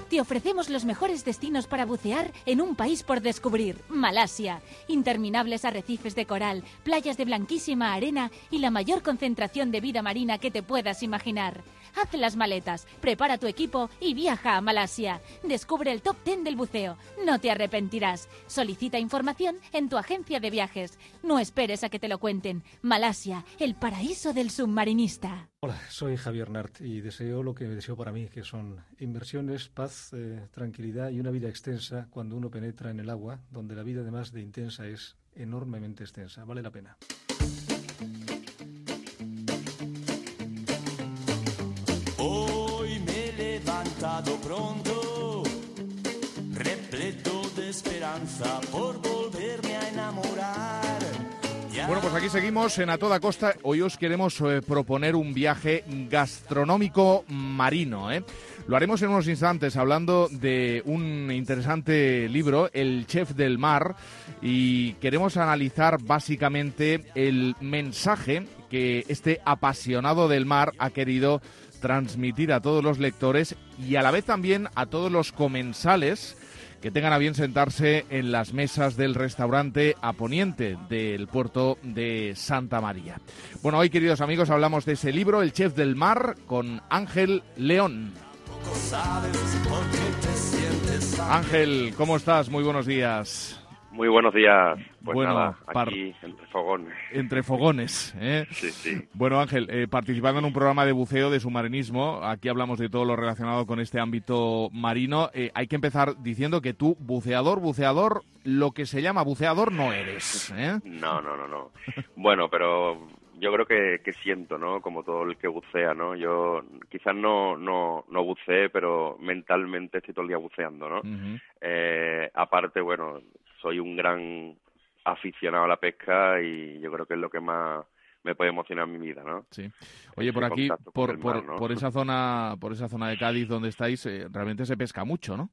Te ofrecemos los mejores destinos para bucear en un país por descubrir, Malasia. Interminables arrecifes de coral, playas de blanquísima arena y la mayor concentración de vida marina que te puedas imaginar. Haz las maletas, prepara tu equipo y viaja a Malasia. Descubre el top ten del buceo. No te arrepentirás. Solicita información en tu agencia de viajes. No esperes a que te lo cuenten. Malasia, el paraíso del submarinista. Hola, soy Javier Nart y deseo lo que deseo para mí, que son inversiones, paz, eh, tranquilidad y una vida extensa cuando uno penetra en el agua, donde la vida además de intensa es enormemente extensa. Vale la pena. Hoy me he levantado pronto, repleto de esperanza por volverme a enamorar. Bueno, pues aquí seguimos en A Toda Costa. Hoy os queremos eh, proponer un viaje gastronómico marino, ¿eh? Lo haremos en unos instantes hablando de un interesante libro, El Chef del Mar, y queremos analizar básicamente el mensaje que este apasionado del mar ha querido transmitir a todos los lectores y a la vez también a todos los comensales que tengan a bien sentarse en las mesas del restaurante A Poniente del puerto de Santa María. Bueno, hoy, queridos amigos, hablamos de ese libro, El Chef del Mar, con Ángel León. Ángel, ¿cómo estás? Muy buenos días. Muy buenos días. Pues bueno, nada, par... aquí entre fogones. Entre fogones, ¿eh? Sí, sí. Bueno, Ángel, eh, participando en un programa de buceo, de submarinismo, aquí hablamos de todo lo relacionado con este ámbito marino. Eh, hay que empezar diciendo que tú, buceador, buceador, lo que se llama buceador no eres, ¿eh? No, no, no, no. Bueno, pero yo creo que, que siento, ¿no? Como todo el que bucea, ¿no? Yo quizás no, no, no buceé, pero mentalmente estoy todo el día buceando, ¿no? Uh-huh. Eh, aparte, bueno, soy un gran aficionado a la pesca y yo creo que es lo que más me puede emocionar en mi vida, ¿no? Sí. Oye, por aquí, por, por, mar, ¿no? por esa zona, por esa zona de Cádiz donde estáis, eh, realmente se pesca mucho, ¿no?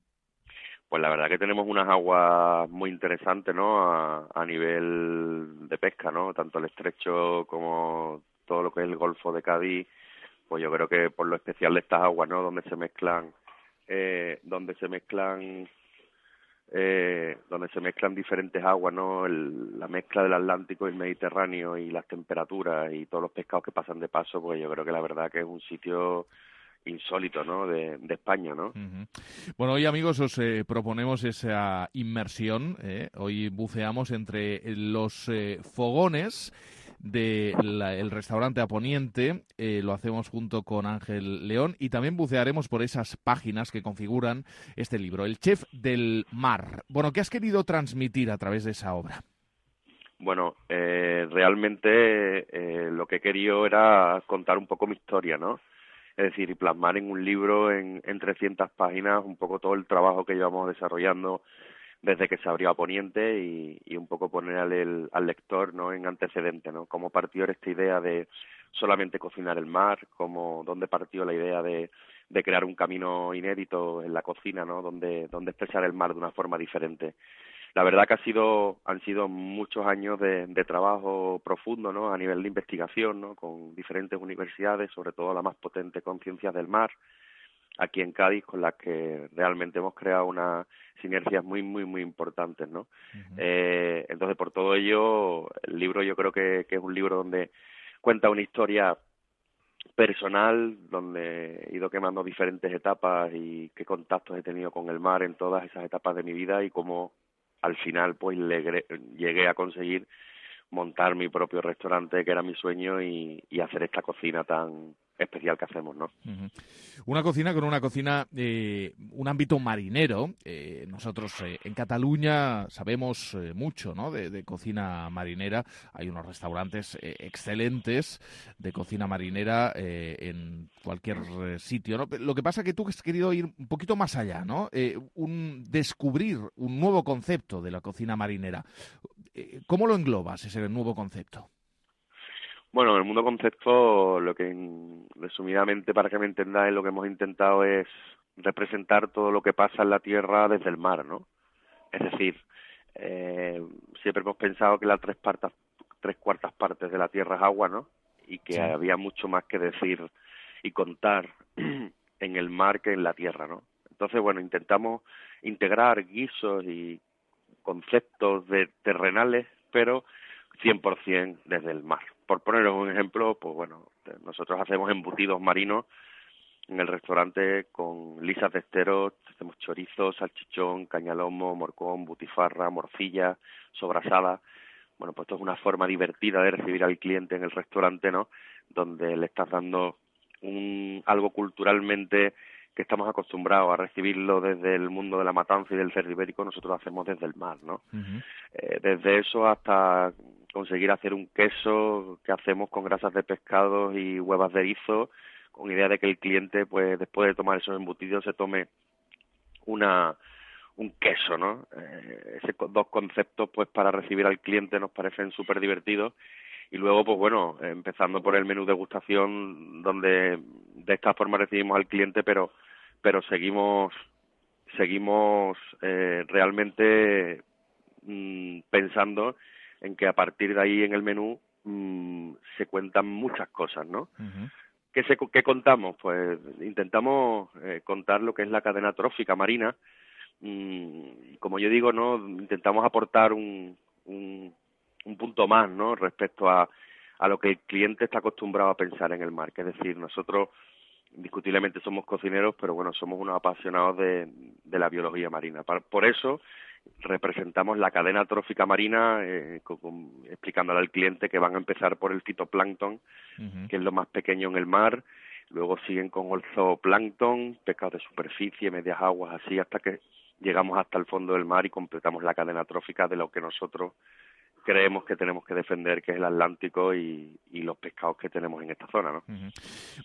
Pues la verdad que tenemos unas aguas muy interesantes, ¿no? A, a nivel de pesca, ¿no? Tanto el estrecho como todo lo que es el Golfo de Cádiz, pues yo creo que por lo especial de estas aguas, ¿no? Donde se mezclan, eh, donde se mezclan Eh, donde se mezclan diferentes aguas, ¿no? El, la mezcla del Atlántico y el Mediterráneo y las temperaturas y todos los pescados que pasan de paso, pues yo creo que la verdad que es un sitio insólito, ¿no? De, de España, ¿no? Uh-huh. Bueno, hoy, amigos, os eh, proponemos esa inmersión. ¿eh? Hoy buceamos entre los eh, fogones del restaurante A Poniente, eh, lo hacemos junto con Ángel León y también bucearemos por esas páginas que configuran este libro, El Chef del Mar. Bueno, ¿qué has querido transmitir a través de esa obra? Bueno, eh, realmente eh, lo que he querido era contar un poco mi historia, ¿no? Es decir, y plasmar en un libro en, en trescientas páginas un poco todo el trabajo que llevamos desarrollando desde que se abrió A Poniente y, y un poco poner al, el, al lector, ¿no? En antecedente, ¿no? Cómo partió esta idea de solamente cocinar el mar, cómo, dónde partió la idea de, de crear un camino inédito en la cocina, ¿no? Donde, donde expresar el mar de una forma diferente. La verdad que ha sido, han sido muchos años de, de trabajo profundo, ¿no? A nivel de investigación, ¿no? Con diferentes universidades, sobre todo la más potente con Ciencias del Mar, aquí en Cádiz, con las que realmente hemos creado unas sinergias muy, muy, muy importantes, ¿no? Uh-huh. Eh, entonces, por todo ello, el libro yo creo que, que es un libro donde cuenta una historia personal, donde he ido quemando diferentes etapas y qué contactos he tenido con el mar en todas esas etapas de mi vida y cómo al final pues le, llegué a conseguir montar mi propio restaurante, que era mi sueño, y, y hacer esta cocina tan especial que hacemos, ¿no? Uh-huh. Una cocina con una cocina, eh, un ámbito marinero. Eh, nosotros eh, en Cataluña sabemos eh, mucho, ¿no? De, de cocina marinera. Hay unos restaurantes eh, excelentes de cocina marinera eh, en cualquier eh, sitio, ¿no? Lo que pasa es que tú has querido ir un poquito más allá, ¿no? Eh, un descubrir un nuevo concepto de la cocina marinera. Eh, ¿Cómo lo englobas ese nuevo concepto? Bueno, en el mundo concepto, lo que resumidamente, para que me entendáis, lo que hemos intentado es representar todo lo que pasa en la tierra desde el mar, ¿no? Es decir, eh, siempre hemos pensado que las tres, partas, tres cuartas partes de la tierra es agua, ¿no? Y que sí. Había mucho más que decir y contar en el mar que en la tierra, ¿no? Entonces, bueno, intentamos integrar guisos y conceptos de terrenales, pero cien por ciento desde el mar. Por poneros un ejemplo, pues bueno, nosotros hacemos embutidos marinos en el restaurante con lisas de esteros, hacemos chorizo, salchichón, cañalomo, morcón, butifarra, morcilla, sobrasada. Bueno, pues esto es una forma divertida de recibir al cliente en el restaurante, ¿no? donde le estás dando un algo culturalmente que estamos acostumbrados a recibirlo desde el mundo de la matanza y del cerdo ibérico, nosotros lo hacemos desde el mar, ¿no? Uh-huh. Eh, desde eso hasta conseguir hacer un queso que hacemos con grasas de pescado y huevas de erizo, con idea de que el cliente, pues después de tomar esos embutidos, se tome una un queso, ¿no? Eh, esos dos conceptos, pues para recibir al cliente nos parecen súper divertidos. Y luego, pues bueno, empezando por el menú degustación, donde de esta forma recibimos al cliente, pero pero seguimos seguimos eh, realmente mmm, pensando en que a partir de ahí en el menú mmm, se cuentan muchas cosas, ¿no? Uh-huh. ¿Qué, se, ¿Qué contamos? Pues intentamos eh, contar lo que es la cadena trófica marina. Mm, como yo digo, ¿no? Intentamos aportar un, un un punto más, ¿no?, respecto a, a lo que el cliente está acostumbrado a pensar en el mar, que es decir, nosotros indiscutiblemente somos cocineros, pero bueno, somos unos apasionados de, de la biología marina. Por eso representamos la cadena trófica marina, eh, con, con, explicándole al cliente que van a empezar por el fitoplancton, uh-huh. que es lo más pequeño en el mar, luego siguen con el zooplancton, pescados de superficie, medias aguas, así hasta que llegamos hasta el fondo del mar y completamos la cadena trófica de lo que nosotros creemos que tenemos que defender, que es el Atlántico y, y los pescados que tenemos en esta zona, ¿no? Uh-huh.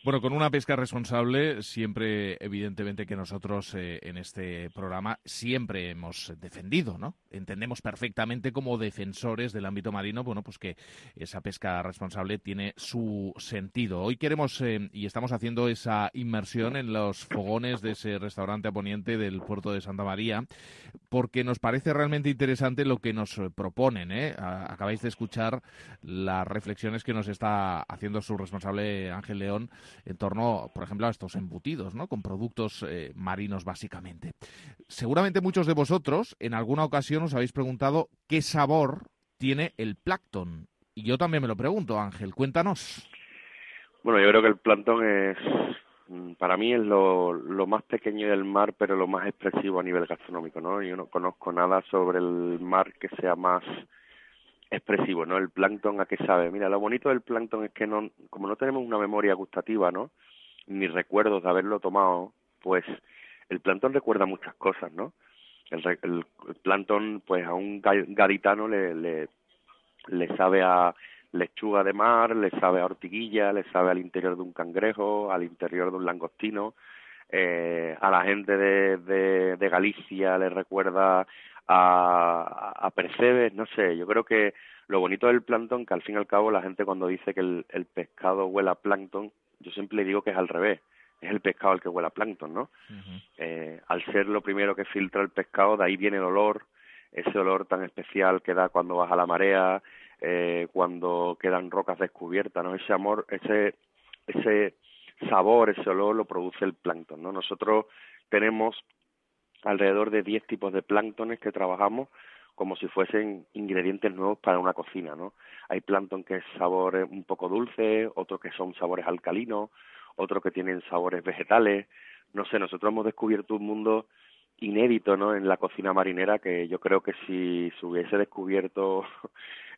Bueno, con una pesca responsable, siempre, evidentemente, que nosotros eh, en este programa siempre hemos defendido, ¿no? Entendemos perfectamente como defensores del ámbito marino, bueno, pues que esa pesca responsable tiene su sentido. Hoy queremos, eh, y estamos haciendo esa inmersión en los fogones de ese restaurante a poniente del puerto de Santa María, porque nos parece realmente interesante lo que nos proponen, ¿eh? Acabáis de escuchar las reflexiones que nos está haciendo su responsable Ángel León en torno, por ejemplo, a estos embutidos, ¿no?, con productos eh, marinos básicamente. Seguramente muchos de vosotros en alguna ocasión os habéis preguntado qué sabor tiene el plancton. Y yo también me lo pregunto, Ángel, cuéntanos. Bueno, yo creo que el plancton es, para mí es lo, lo más pequeño del mar, pero lo más expresivo a nivel gastronómico, ¿no? Yo no conozco nada sobre el mar que sea más expresivo, ¿no? El plancton, ¿a qué sabe? Mira, lo bonito del plancton es que no, como no tenemos una memoria gustativa, ¿no?, ni recuerdos de haberlo tomado, pues el plancton recuerda muchas cosas, ¿no? El, el, el plancton, pues a un gaditano le, le, le sabe a lechuga de mar, le sabe a ortiguilla, le sabe al interior de un cangrejo, al interior de un langostino. Eh, a la gente de, de, de Galicia le recuerda a, a percebes, no sé, yo creo que lo bonito del plancton, que al fin y al cabo la gente cuando dice que el, el pescado huele a plancton, yo siempre le digo que es al revés, es el pescado el que huele a plancton, ¿no? Uh-huh. Eh, al ser lo primero que filtra el pescado, de ahí viene el olor, ese olor tan especial que da cuando baja la marea, eh, cuando quedan rocas descubiertas, ¿no? Ese amor, ese, ese sabor, ese olor lo produce el plancton, ¿no? Nosotros tenemos alrededor de diez tipos de planctones que trabajamos como si fuesen ingredientes nuevos para una cocina, ¿no? Hay plancton que es sabor un poco dulce, otros que son sabores alcalinos, otros que tienen sabores vegetales. No sé, nosotros hemos descubierto un mundo inédito, ¿no?, en la cocina marinera, que yo creo que si se hubiese descubierto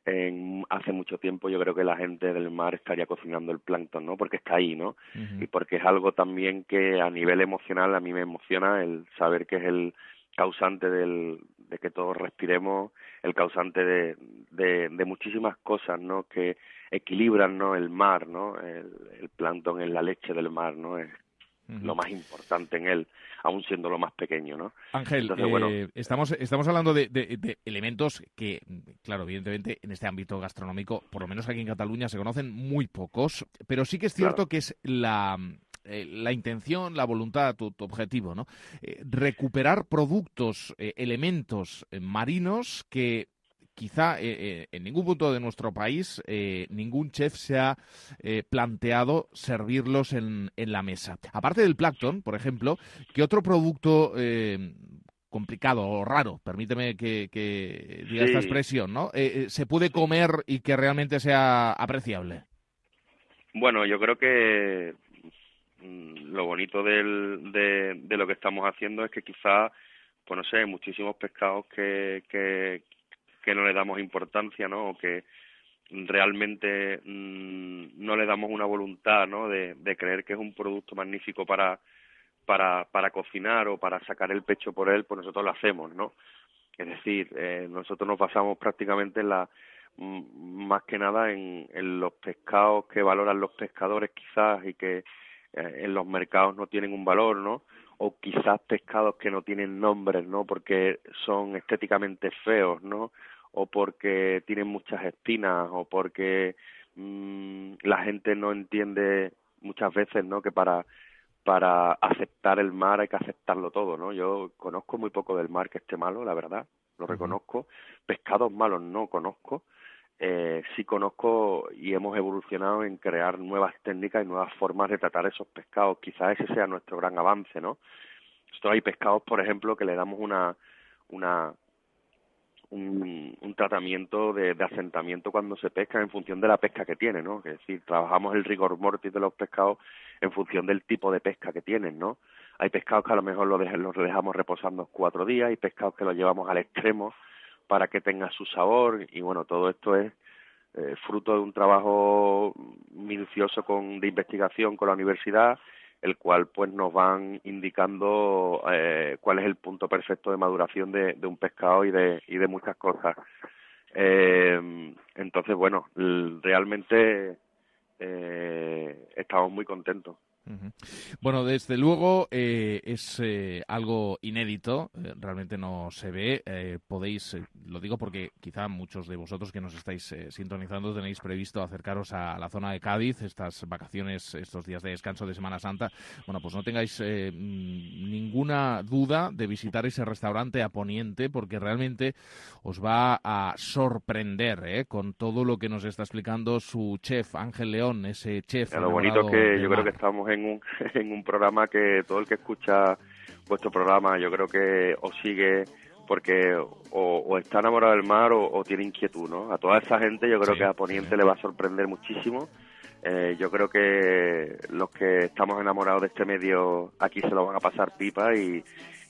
en hace mucho tiempo, yo creo que la gente del mar estaría cocinando el plancton, ¿no?, porque está ahí, ¿no? Uh-huh. Y porque es algo también que a nivel emocional a mí me emociona el saber que es el causante del, de que todos respiremos, el causante de, de, de muchísimas cosas, ¿no?, que equilibran, ¿no?, el mar, ¿no? El, el plancton es la leche del mar, ¿no? Es uh-huh. lo más importante en él, aún siendo lo más pequeño, ¿no? Ángel, Entonces, eh, bueno, estamos estamos hablando de, de, de elementos que, claro, evidentemente en este ámbito gastronómico, por lo menos aquí en Cataluña, se conocen muy pocos, pero sí que es cierto claro. que es la... Eh, la intención, la voluntad, tu, tu objetivo, ¿no? Eh, recuperar productos, eh, elementos eh, marinos que quizá eh, eh, en ningún punto de nuestro país eh, ningún chef se ha eh, planteado servirlos en, en la mesa. Aparte del plancton, por ejemplo, ¿qué otro producto eh, complicado o raro, permíteme que, que diga sí. esta expresión, ¿no? Eh, eh, se puede comer y que realmente sea apreciable? Bueno, yo creo que lo bonito del, de, de lo que estamos haciendo es que quizá, pues no sé, muchísimos pescados que, que, que no le damos importancia, ¿no? O que, realmente mmm, no le damos una voluntad, ¿no?, de, de creer que es un producto magnífico para, para, para cocinar o para sacar el pecho por él, pues nosotros lo hacemos, ¿no? Es decir, eh, nosotros nos basamos prácticamente en la más que nada en, en los pescados que valoran los pescadores quizás y que eh, en los mercados no tienen un valor, ¿no? O quizás pescados que no tienen nombres, ¿no? Porque son estéticamente feos, ¿no? O porque tienen muchas espinas, o porque mmm, la gente no entiende muchas veces, ¿no?, que para para aceptar el mar hay que aceptarlo todo, ¿no? Yo conozco muy poco del mar que esté malo, la verdad, lo reconozco. Pescados malos no conozco. Eh, sí conozco y hemos evolucionado en crear nuevas técnicas y nuevas formas de tratar esos pescados. Quizás ese sea nuestro gran avance, ¿no? Nosotros hay pescados, por ejemplo, que le damos una una un, un tratamiento de, de asentamiento cuando se pesca en función de la pesca que tiene, ¿no? Es decir, trabajamos el rigor mortis de los pescados en función del tipo de pesca que tienen, ¿no? Hay pescados que a lo mejor los, de, los dejamos reposando cuatro días, hay pescados que los llevamos al extremo para que tenga su sabor, y bueno, todo esto es eh, fruto de un trabajo minucioso con, de investigación con la universidad, el cual pues nos van indicando eh, cuál es el punto perfecto de maduración de, de un pescado y de, y de muchas cosas. Eh, entonces, bueno, realmente eh, estamos muy contentos. Uh-huh. Bueno, desde luego eh, es eh, algo inédito, eh, realmente no se ve. Eh, podéis, eh, lo digo porque quizá muchos de vosotros que nos estáis eh, sintonizando tenéis previsto acercaros a la zona de Cádiz, estas vacaciones, estos días de descanso de Semana Santa. Bueno, pues no tengáis eh, ninguna duda de visitar ese restaurante a Poniente, porque realmente os va a sorprender eh, con todo lo que nos está explicando su chef, Ángel León, ese chef. Lo bonito que yo creo que estamos en un, en un programa que todo el que escucha vuestro programa yo creo que os sigue porque o, o está enamorado del mar o, o tiene inquietud, ¿no? A toda esa gente yo creo sí, que a Poniente sí. le va a sorprender muchísimo. Eh, yo creo que los que estamos enamorados de este medio aquí se lo van a pasar pipa y,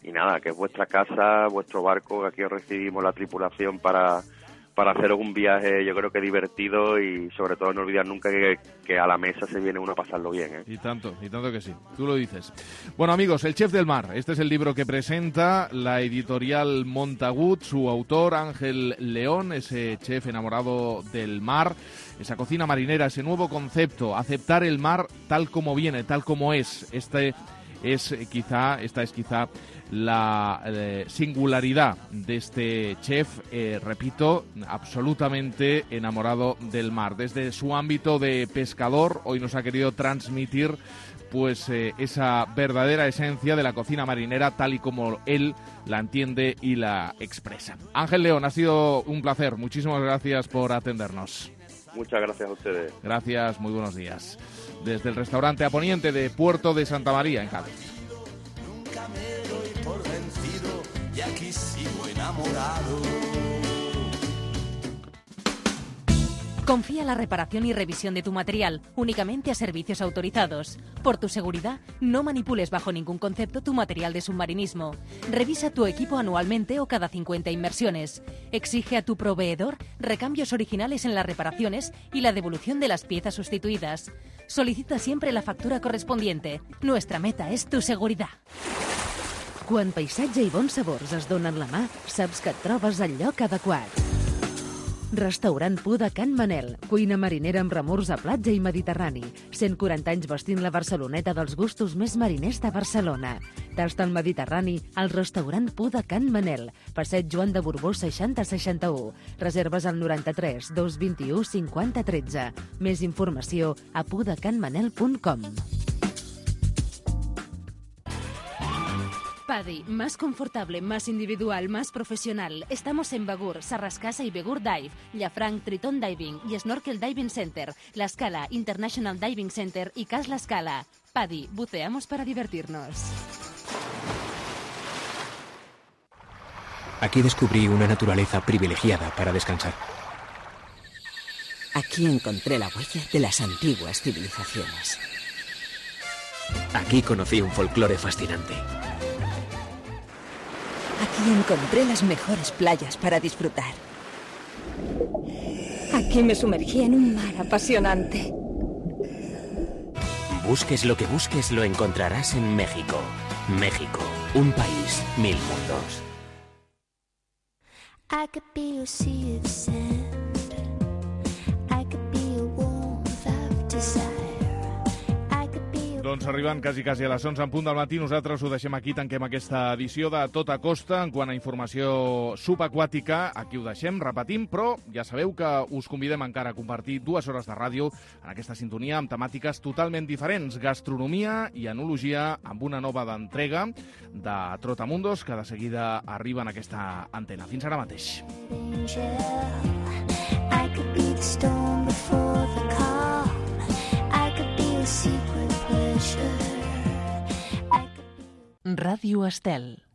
y nada, que es vuestra casa, vuestro barco, aquí os recibimos la tripulación para... para haceros un viaje, yo creo que divertido y sobre todo no olvidar nunca que, que a la mesa se viene uno a pasarlo bien, ¿eh? Y tanto, y tanto que sí, tú lo dices. Bueno, amigos, El Chef del Mar, este es el libro que presenta la editorial Montagut, su autor Ángel León, ese chef enamorado del mar, esa cocina marinera, ese nuevo concepto, aceptar el mar tal como viene, tal como es. Este es quizá, esta es quizá la eh, singularidad de este chef, eh, repito, absolutamente enamorado del mar. Desde su ámbito de pescador, hoy nos ha querido transmitir pues eh, esa verdadera esencia de la cocina marinera tal y como él la entiende y la expresa. Ángel León, ha sido un placer. Muchísimas gracias por atendernos. Muchas gracias a ustedes. Gracias, muy buenos días. Desde el restaurante A Poniente de Puerto de Santa María, en Cádiz. Nunca me doy por vencido y aquí sigo enamorado. Confía la reparación y revisión de tu material únicamente a servicios autorizados. Por tu seguridad, no manipules bajo ningún concepto tu material de submarinismo. Revisa tu equipo anualmente o cada cincuenta inmersiones. Exige a tu proveedor recambios originales en las reparaciones y la devolución de las piezas sustituidas. Solicita siempre la factura correspondiente. Nuestra meta és tu seguretat. Quan paisatge i bons sabors es donen la mà, saps que et trobes al lloc adequat. Restaurant Pu de Can Manel, cuina marinera amb remors a platja i mediterrani. cent quaranta anys vestint la Barceloneta dels gustos més mariners de Barcelona. Tasta el Mediterrani al restaurant Pu de Can Manel, passeig Joan de Borbó seixanta seixanta-u. Reserves al noranta-tres dos vint-i-u cinquanta tretze. Més informació a pudecanmanel punt com. Paddy, más confortable, más individual, más profesional. Estamos en Begur, Sarrascasa y Begur Dive, Llafranc, Triton Diving y Snorkel Diving Center, La Scala, International Diving Center y Cas La Scala. Paddy, buceamos para divertirnos. Aquí descubrí una naturaleza privilegiada para descansar. Aquí encontré la huella de las antiguas civilizaciones. Aquí conocí un folclore fascinante. Aquí encontré las mejores playas para disfrutar. Aquí me sumergí en un mar apasionante. Busques lo que busques, lo encontrarás en México. México, un país, mil mundos. I could be a sea of sand. I could be a warmth of desire. Doncs arribant quasi, quasi a les onze en punt del matí, nosaltres ho deixem aquí, tanquem aquesta edició de Tota Costa. En quant a informació subaquàtica, aquí ho deixem, repetim, però ja sabeu que us convidem encara a compartir dues hores de ràdio en aquesta sintonia amb temàtiques totalment diferents, gastronomia i enologia, amb una nova d'entrega de Trotamundos, que de seguida arriba en aquesta antena. Fins ara mateix. I could be the storm before the calm. I could be a secret. Ràdio Estel.